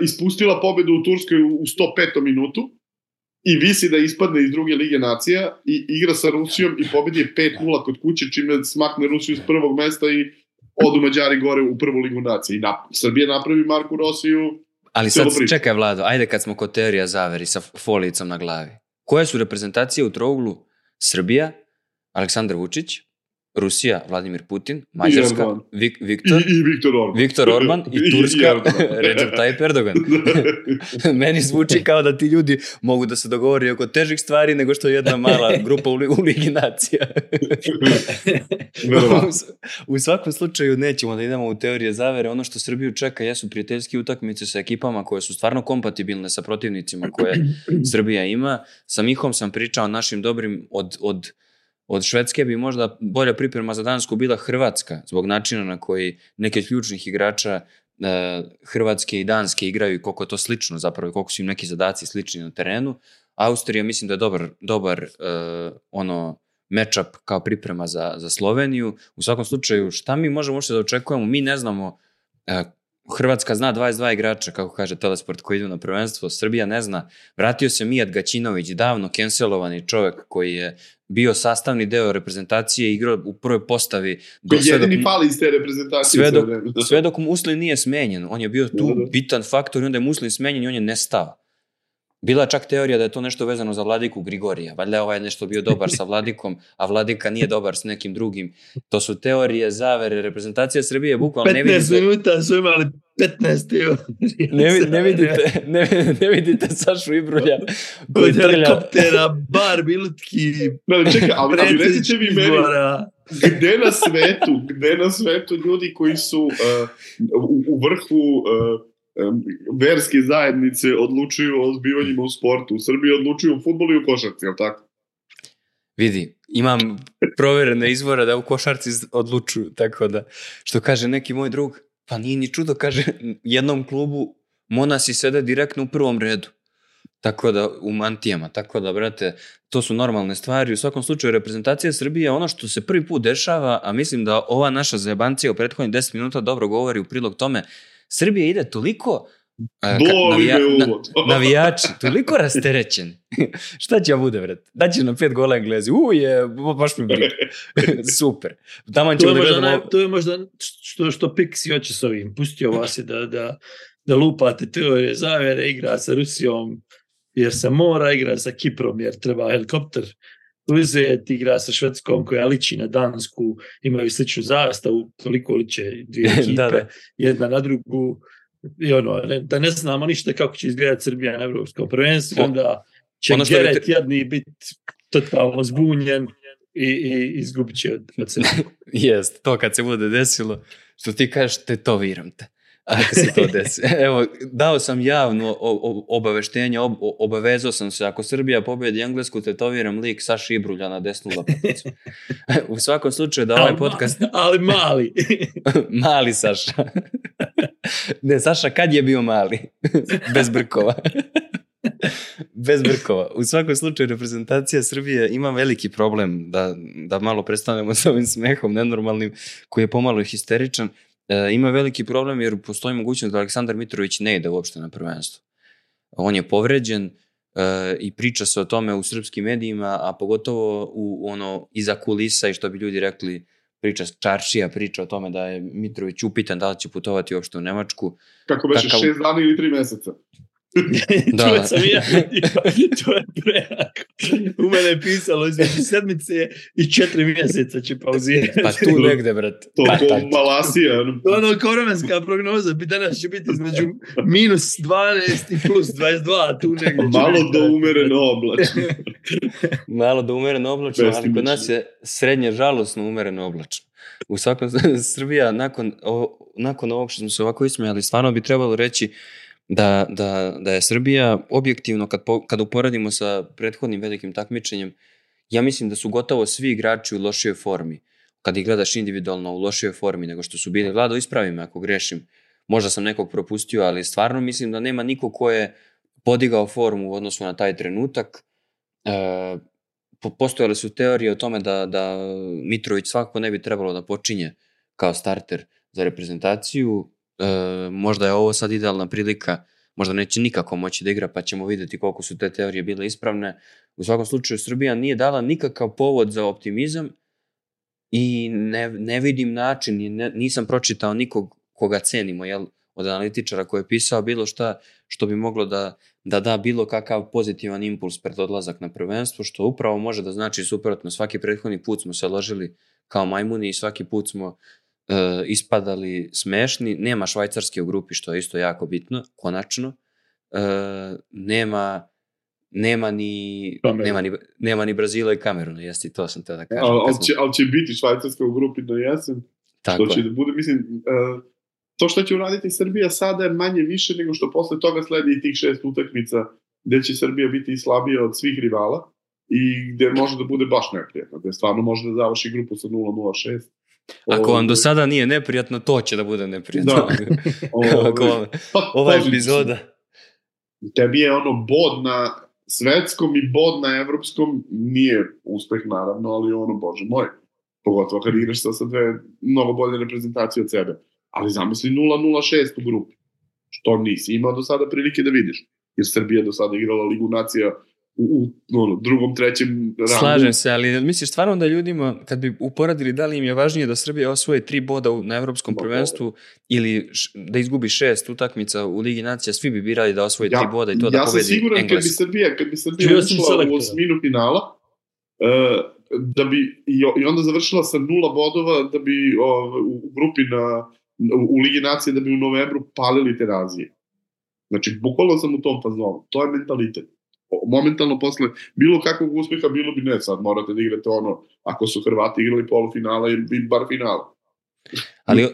ispustila pobedu u Turskoj u 105. minutu i visi da ispadne iz druge Lige nacija i igra sa Rusijom i pobedi je 5-0 kod kuće, čime smakne Rusiju s prvog mesta i odu Mađari gore u prvu Ligu nacije. I Srbija napravi Marku Rosiju.
Ali sad čekaj, Vlado, ajde kad smo kod teorija zaveri sa folijicom na glavi. Koje su reprezentacije u trouglu? Srbija, Aleksandar Vučić, Rusija, Vladimir Putin, Mađarska, Viktor Orban i Turska, Recep Tayyip Erdogan. Meni zvuči kao da ti ljudi mogu da se dogovori oko težih stvari nego što je jedna mala grupa u Ligi nacija. U svakom slučaju nećemo da idemo u teorije zavere. Ono što Srbiju čeka jesu prijateljski utakmice sa ekipama koje su stvarno kompatibilne sa protivnicima koje Srbija ima. Sa Mihom sam pričao našim dobrim od Švedske bi možda bolja priprema za Dansku bila Hrvatska, zbog načina na koji neke ključnih igrača Hrvatske i Danske igraju i koliko je to slično zapravo, koliko su im neki zadaci slični na terenu. Austrija mislim da je dobar matchup kao priprema za Sloveniju. U svakom slučaju, šta mi možemo da očekujemo? Mi ne znamo, Hrvatska zna 22 igrača, kako kaže Telesport, koji idu na prvenstvo. Srbija ne zna. Vratio se Mijat Gaćinović, davno cancelovani čovjek koji je bio sastavni deo reprezentacije i igrao u prvoj postavi.
Jedini pali iz te reprezentacije.
Sve dok Muslin nije smenjen. On je bio tu bitan faktor i onda je Muslin smenjen i on je nestao. Bila je čak teorija da je to nešto vezano za Vladiku Grigorija. Valjda je ovaj nešto bio dobar sa Vladikom, a Vladika nije dobar s nekim drugim. To su teorije, zavere, reprezentacija Srbije, bukvalno ne vidite...
15 minuta su imali 15 teorija.
Ne
vidite Sašu Ibrulja.
Kod helikoptera, bar bilutki,
čekaj, ali recite vi meni, gde na svetu ljudi koji su u vrhu... verske zajednice odlučuju o zbivanjima u sportu. U Srbiji odlučuju u fudbalu i u košarci, je li tako?
Vidi, imam proverene izvore da u košarci odlučuju, tako da, što kaže neki moj drug, pa nije ni čudo, kaže, jednom klubu monasi sede direktno u prvom redu. Tako da, u mantijama, tako da, brate, to su normalne stvari. U svakom slučaju, reprezentacija Srbije je ono što se prvi put dešava, a mislim da ova naša zajebancija u prethodnih 10 minuta dobro govori u prilog tome. Srbija ide toliko navijači, toliko rasterećen. Šta će bude, vrat? Daće nam 5 gola Englezi. Baš mi briga. Super.
To je možda što Pixi hoće s ovim. Pustio vas je da lupate teorije zavere, igra sa Rusijom jer se mora, igra sa Kiprom jer treba helikopter uzeti, igra sa Švedskom koja liči na Dansku, imaju sličnu zastavu, toliko liče dvije ekipe, jedna na drugu, i da ne znamo ništa kako će izgledati Srbija na Evropskom prvenstvu, onda će Geret jedni biti totalno zbunjen i izgubit će od sebe.
Jest, to kad se bude desilo, što ti kažeš, tetoviram te. Ako se to desi. Evo, dao sam javno obaveštenje, obavezao sam se, ako Srbija pobedi Englesku, tetoviram lik Saša Ibrulja na desnu lopaticu. U svakom slučaju da ovaj podcast...
Ali mali.
Mali Saša. Ne, Saša kad je bio mali? Bez brkova. Bez brkova. U svakom slučaju reprezentacija Srbije ima veliki problem da malo prestanemo s ovim smehom nenormalnim koji je pomalo histeričan. Ima veliki problem jer postoji mogućnost da Aleksandar Mitrović ne ide uopšte na prvenstvo. On je povređen i priča se o tome u srpskim medijima, a pogotovo iza kulisa i što bi ljudi rekli čaršija priča o tome da je Mitrović upitan da li će putovati uopšte u Nemačku.
Kako beše 6 dana ili 3 meseca?
To sam ja, to je prejako. U mene je pisalo između sedmice i 4 mjeseca će pauzirati.
Pa tu negde, brat.
To Malasija.
Koromenska prognoza bi danas će biti između -12 i +22, tu negde.
Malo do umereno oblačno.
Malo da umereno oblačno, ali kod nas je srednje žalosno umereno oblačno. U svakom Srbija, nakon ovog što smo se ovako ismijali, stvarno bi trebalo reći da je Srbija objektivno, kad uporadimo sa prethodnim velikim takmičenjem, ja mislim da su gotovo svi igrači u lošijoj formi. Kad ih gledaš individualno u lošijoj formi nego što su bili. Vlado, ispravi me ako grešim. Možda sam nekog propustio, ali stvarno mislim da nema niko ko je podigao formu u odnosu na taj trenutak. Postojale su teorije o tome da Mitrović svakako ne bi trebalo da počinje kao starter za reprezentaciju. Možda je ovo sad idealna prilika, možda neće nikako moći da igra, pa ćemo vidjeti koliko su te teorije bile ispravne. U svakom slučaju Srbija nije dala nikakav povod za optimizam i ne vidim način, nisam pročitao nikog koga cenimo, od analitičara koji je pisao bilo šta što bi moglo da bilo kakav pozitivan impuls pred odlazak na prvenstvo, što upravo može da znači suprotno. Svaki prethodni put smo se ložili kao majmuni i svaki put smo ispadali smešni. Nema Švajcarske u grupi, što je isto jako bitno, konačno. Nema ni Brazila i Kameruna, jesti, to sam te da kažem.
Ali će biti Švajcarska u grupi do jesen. Tako što će da bude, mislim, to što će uraditi Srbija sada je manje više nego što posle toga sledi i tih 6 utakmica gde će Srbija biti i slabija od svih rivala i gde može da bude baš neprijatno, gde stvarno može da završi grupu sa 0-0-6.
Ako vam do sada nije neprijatno, to će da bude neprijatno. Ova epizoda.
Tebi je bod na svetskom i bod na evropskom, nije uspeh naravno, ali bože moj, pogotovo kad igraš sa dve mnogo bolje reprezentacije od sebe. Ali zamisli 0-0-6 u grupi, što nisi imao do sada prilike da vidiš, jer Srbija do sada igrala Ligu nacija u drugom, trećem rangu.
Slažem se, ali misliš stvarno da ljudima, kad bi uporadili da li im je važnije da Srbija osvoje 3 boda na evropskom prvenstvu ili da izgubi 6 utakmica u Ligi nacija, svi bi birali da osvoje 3 boda i to da pobedi Englesku.
Ja sam siguran kad bi Srbija ušla u osminu finala, da bi i onda završila sa 0 bodova, da bi u grupi u Ligi nacije, da bi u novembru palili Terazije. Znači, bukvalno sam u tom fazonu. To je mentalitet. Momentalno posle bilo kakvog uspeha bilo bi ne, sad morate da igrate ako su Hrvati igrali polufinala ili bar finala.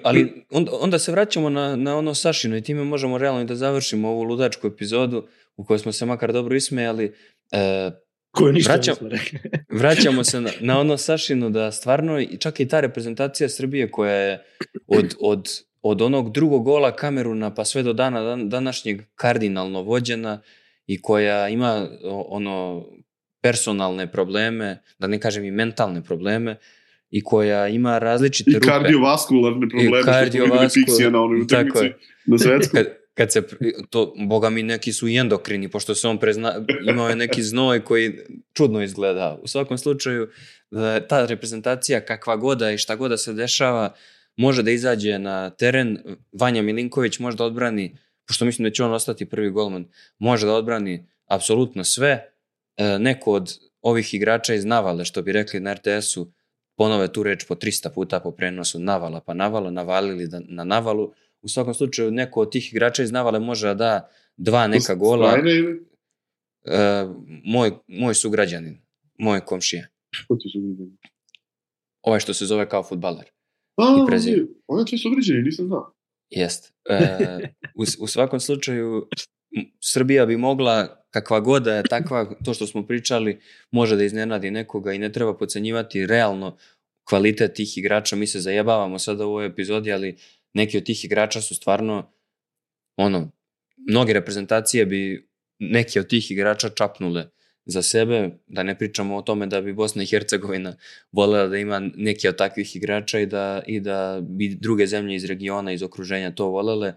Ali onda se vraćamo na ono Sašino i time možemo realno da završimo ovu ludačku epizodu u kojoj smo se makar dobro ismejali. Vraćamo se na ono Sašino, da stvarno čak i ta reprezentacija Srbije koja je od onog drugog gola Kameruna pa sve do dana današnjeg kardinalno vođena i koja ima personalne probleme, da ne kažem i mentalne probleme, i koja ima različite rupe.
I kardiovaskularne probleme, što smo videli Pixija na onoj utakmici na svetskom.
Kad se, boga mi, neki su i endokrini, pošto se on imao je neki znoj koji čudno izgleda. U svakom slučaju, ta reprezentacija kakva goda i šta goda se dešava, može da izađe na teren. Vanja Milinković može da odbrani, pošto mislim da će on ostati prvi golman, može da odbrani apsolutno sve. Neko od ovih igrača iz navale, što bi rekli na RTS-u, ponove tu reč po 300 puta po prenosu, navala pa navala, navalili na navalu. U svakom slučaju, neko od tih igrača iz navale može da da 2 neka gola. Moj sugrađanin, moj komšija.
Ko ti sugrađanin?
Ovaj što se zove kao fudbaler.
On je tvoj sugrađanin, nisam znao.
Jest. U svakom slučaju, Srbija bi mogla, kakva god da je takva, to što smo pričali, može da iznenadi nekoga i ne treba podcenjivati realno kvalitet tih igrača. Mi se zajebavamo sada u ovoj epizodi, ali neki od tih igrača su stvarno, mnoge reprezentacije bi neki od tih igrača čapnule za sebe, da ne pričamo o tome da bi Bosna i Hercegovina voljela da ima neki od takvih igrača i da bi druge zemlje iz regiona, iz okruženja to voljele.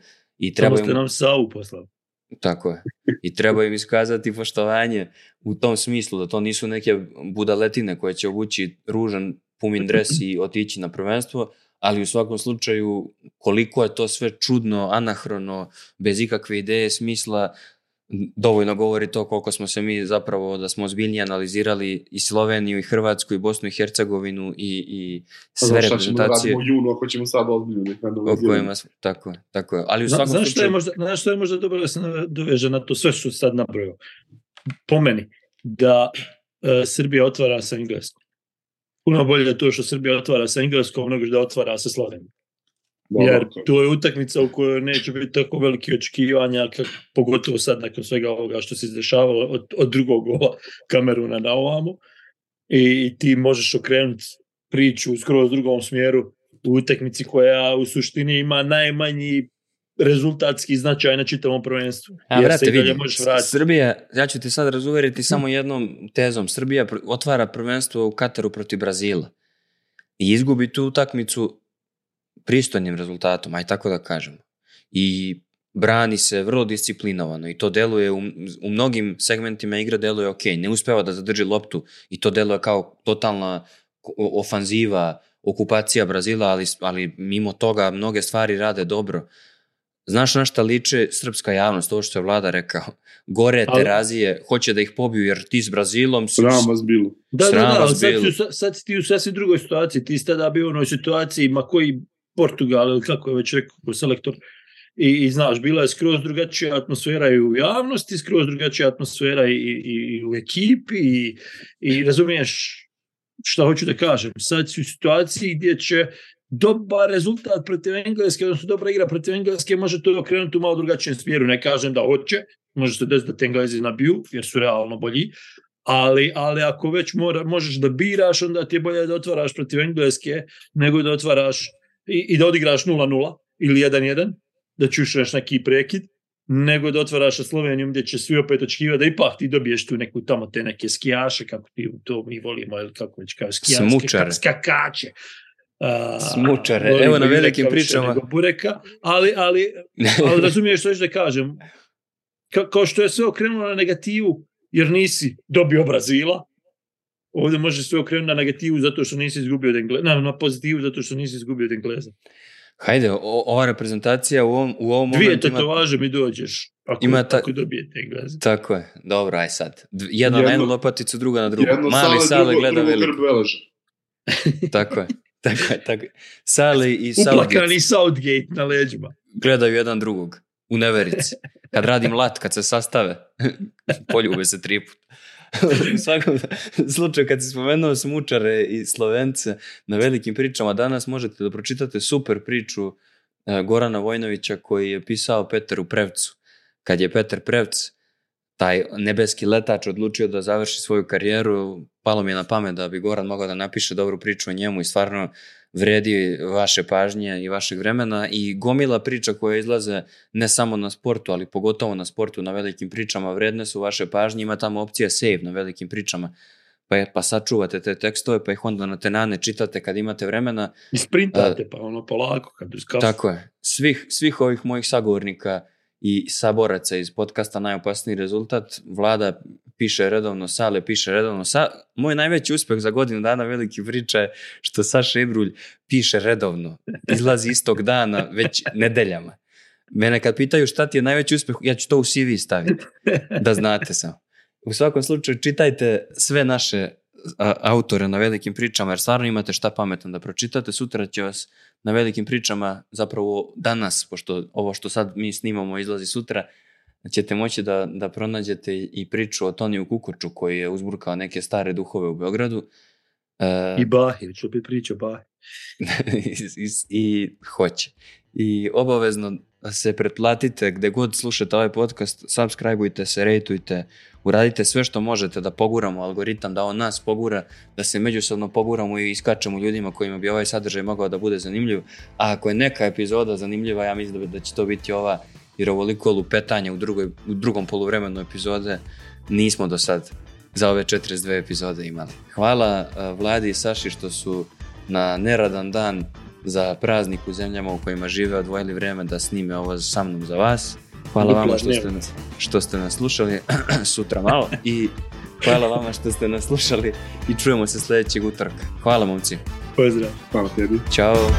Samo ste nam Savu poslali.
Tako je. I treba im iskazati poštovanje u tom smislu, da to nisu neke budaletine koje će obući ružan pumin dres i otići na prvenstvo, ali u svakom slučaju koliko je to sve čudno, anahrono, bez ikakve ideje, smisla, dovoljno govori to koliko smo se mi zapravo, da smo ozbiljnije analizirali i Sloveniju, i Hrvatsku, i Bosnu i Hercegovinu i sve reprezentacije. Šta ćemo
radimo u junu ako ćemo sad ozbiljno
analizirati? Tako je. Ali u svakom slučaju...
Znaš što je možda dobro da se doveže na to sve što sad napravio? Po meni, da Srbija otvara sa Engleskom. Puno bolje je to što Srbija otvara sa Engleskom nego što otvara sa Slovenijom. Jer to je utakmica u kojoj neće biti tako velike očekivanja, pogotovo sad nakon svega ovoga što se izdešavalo od drugog gola Kameruna na ovamo. I ti možeš okrenuti priču u skroz drugom smjeru u utakmici koja u suštini ima najmanji rezultatski značaj na čitavom prvenstvu.
Brate, vidi, Srbija, ja ću ti sad razuveriti samo jednom tezom. Srbija otvara prvenstvo u Kataru protiv Brazila i izgubi tu utakmicu pristojnim rezultatom, aj tako da kažemo. I brani se vrlo disciplinovano i to deluje u mnogim segmentima igre deluje ok. Ne uspeva da zadrži loptu i to deluje kao totalna ofanziva, okupacija Brazila, ali mimo toga mnoge stvari rade dobro. Znaš na šta liče srpska javnost, ovo što je Vlada rekao? Gore Terazije, hoće da ih pobiju jer ti s Brazilom...
Sram vas bilo.
Da, sad si ti u sasvim drugoj situaciji. Ti si tada bio u onoj situaciji, ma koji Portugal, ili kako je već rekao selektor, i znaš, bila je skroz drugačija atmosfera i u javnosti, skroz drugačija atmosfera i u ekipi i razumiješ šta hoću da kažem. Sad si u situaciji gdje će dobar rezultat protiv Engleske, odnosno dobra igra protiv Engleske, može to okrenuti u malo drugačijem smjeru. Ne kažem da hoće, može se desiti da te Englezi nabiju, jer su realno bolji, ali ako već možeš da biraš, onda ti je bolje da otvaraš protiv Engleske, nego da otvaraš i da odigraš 0-0 ili 1-1, da čušaš neki prekid, nego da otvaraš sa Slovenijom gdje će svi opet očekivati da ipak ti dobiješ tu neku tamo te neke skijaše, kako ti to mi volimo, ili kako već kao skijaške, skakače.
Smučare, evo na velikim pričama.
Bureka, ali razumiješ što ću da kažem. Kao što je sve okrenulo na negativu, jer nisi dobio Brazila, ovdje može sve okrenuti na negativu zato što nisi izgubio od Engleza, na pozitivu zato što nisi izgubio od Engleza.
Hajde, ova reprezentacija u ovom momentu...
Dvije tetovaže mi dođeš, ako dobijete Engleza.
Tako je, dobro, aj sad. Jedna na jednu lopaticu, druga na drugu. Mali Sale gleda veliko. Tako je. Sale i Southgate.
Uplakani Southgate na leđima.
Gledaju jedan drugog u neverici. Kad radim lat, kad se sastave, poljube se 3 puta. U svakom slučaju, kad si spomenuo Smučare i Slovence na velikim pričama, danas možete da pročitate super priču Gorana Vojnovića koji je pisao Peteru Prevcu. Kad je Peter Prevc, taj nebeski letač, odlučio da završi svoju karijeru, palo mi je na pamet da bi Goran mogao da napiše dobru priču o njemu i stvarno vredi vaše pažnje i vašeg vremena i gomila priča koje izlaze ne samo na sportu, ali pogotovo na sportu na velikim pričama, vredne su vaše pažnje, ima tamo opcija save na velikim pričama, pa sačuvate te tekstove, pa ih onda na tenane čitate kad imate vremena.
I sprintate, pa ono polako kad uz kafu.
Tako je. Svih ovih mojih sagovornika i saboraca iz podcasta Najopasniji rezultat, Vlada piše redovno, Sale piše redovno. Moj najveći uspeh za godinu dana veliki priča je što Saša Ibrulj piše redovno. Izlazi istog dana, već nedeljama. Mene kad pitaju šta ti je najveći uspeh, ja ću to u CV staviti, da znate samo. U svakom slučaju čitajte sve naše autore na velikim pričama, jer stvarno imate šta pametno da pročitate. Sutra će vas na velikim pričama, zapravo danas, pošto ovo što sad mi snimamo izlazi sutra, ćete moći da pronađete i priču o Toniju Kukoču koji je uzburkao neke stare duhove u Beogradu.
I Bahi, ću opet priča Bahi.
I hoće. I obavezno se pretplatite gde god slušate ovaj podcast, subscribeujte se, rejtujte, uradite sve što možete da poguramo algoritam, da on nas pogura, da se međusobno poguramo i iskačemo ljudima kojima bi ovaj sadržaj mogao da bude zanimljiv. A ako je neka epizoda zanimljiva, ja mislim da će to biti ova, jer ovoliko lupetanja u drugom poluvremenu epizode nismo do sad za ove 42 epizode imali. Hvala Vladi i Saši što su na neradan dan za praznik u zemljama u kojima žive odvojili vreme da snime ovo sa mnom za vas. Hvala vama što ste nas slušali sutra malo i hvala vama što ste nas slušali i čujemo se sljedećeg utorka. Hvala momci.
Pozdrav.
Hvala tebi.
Ćao.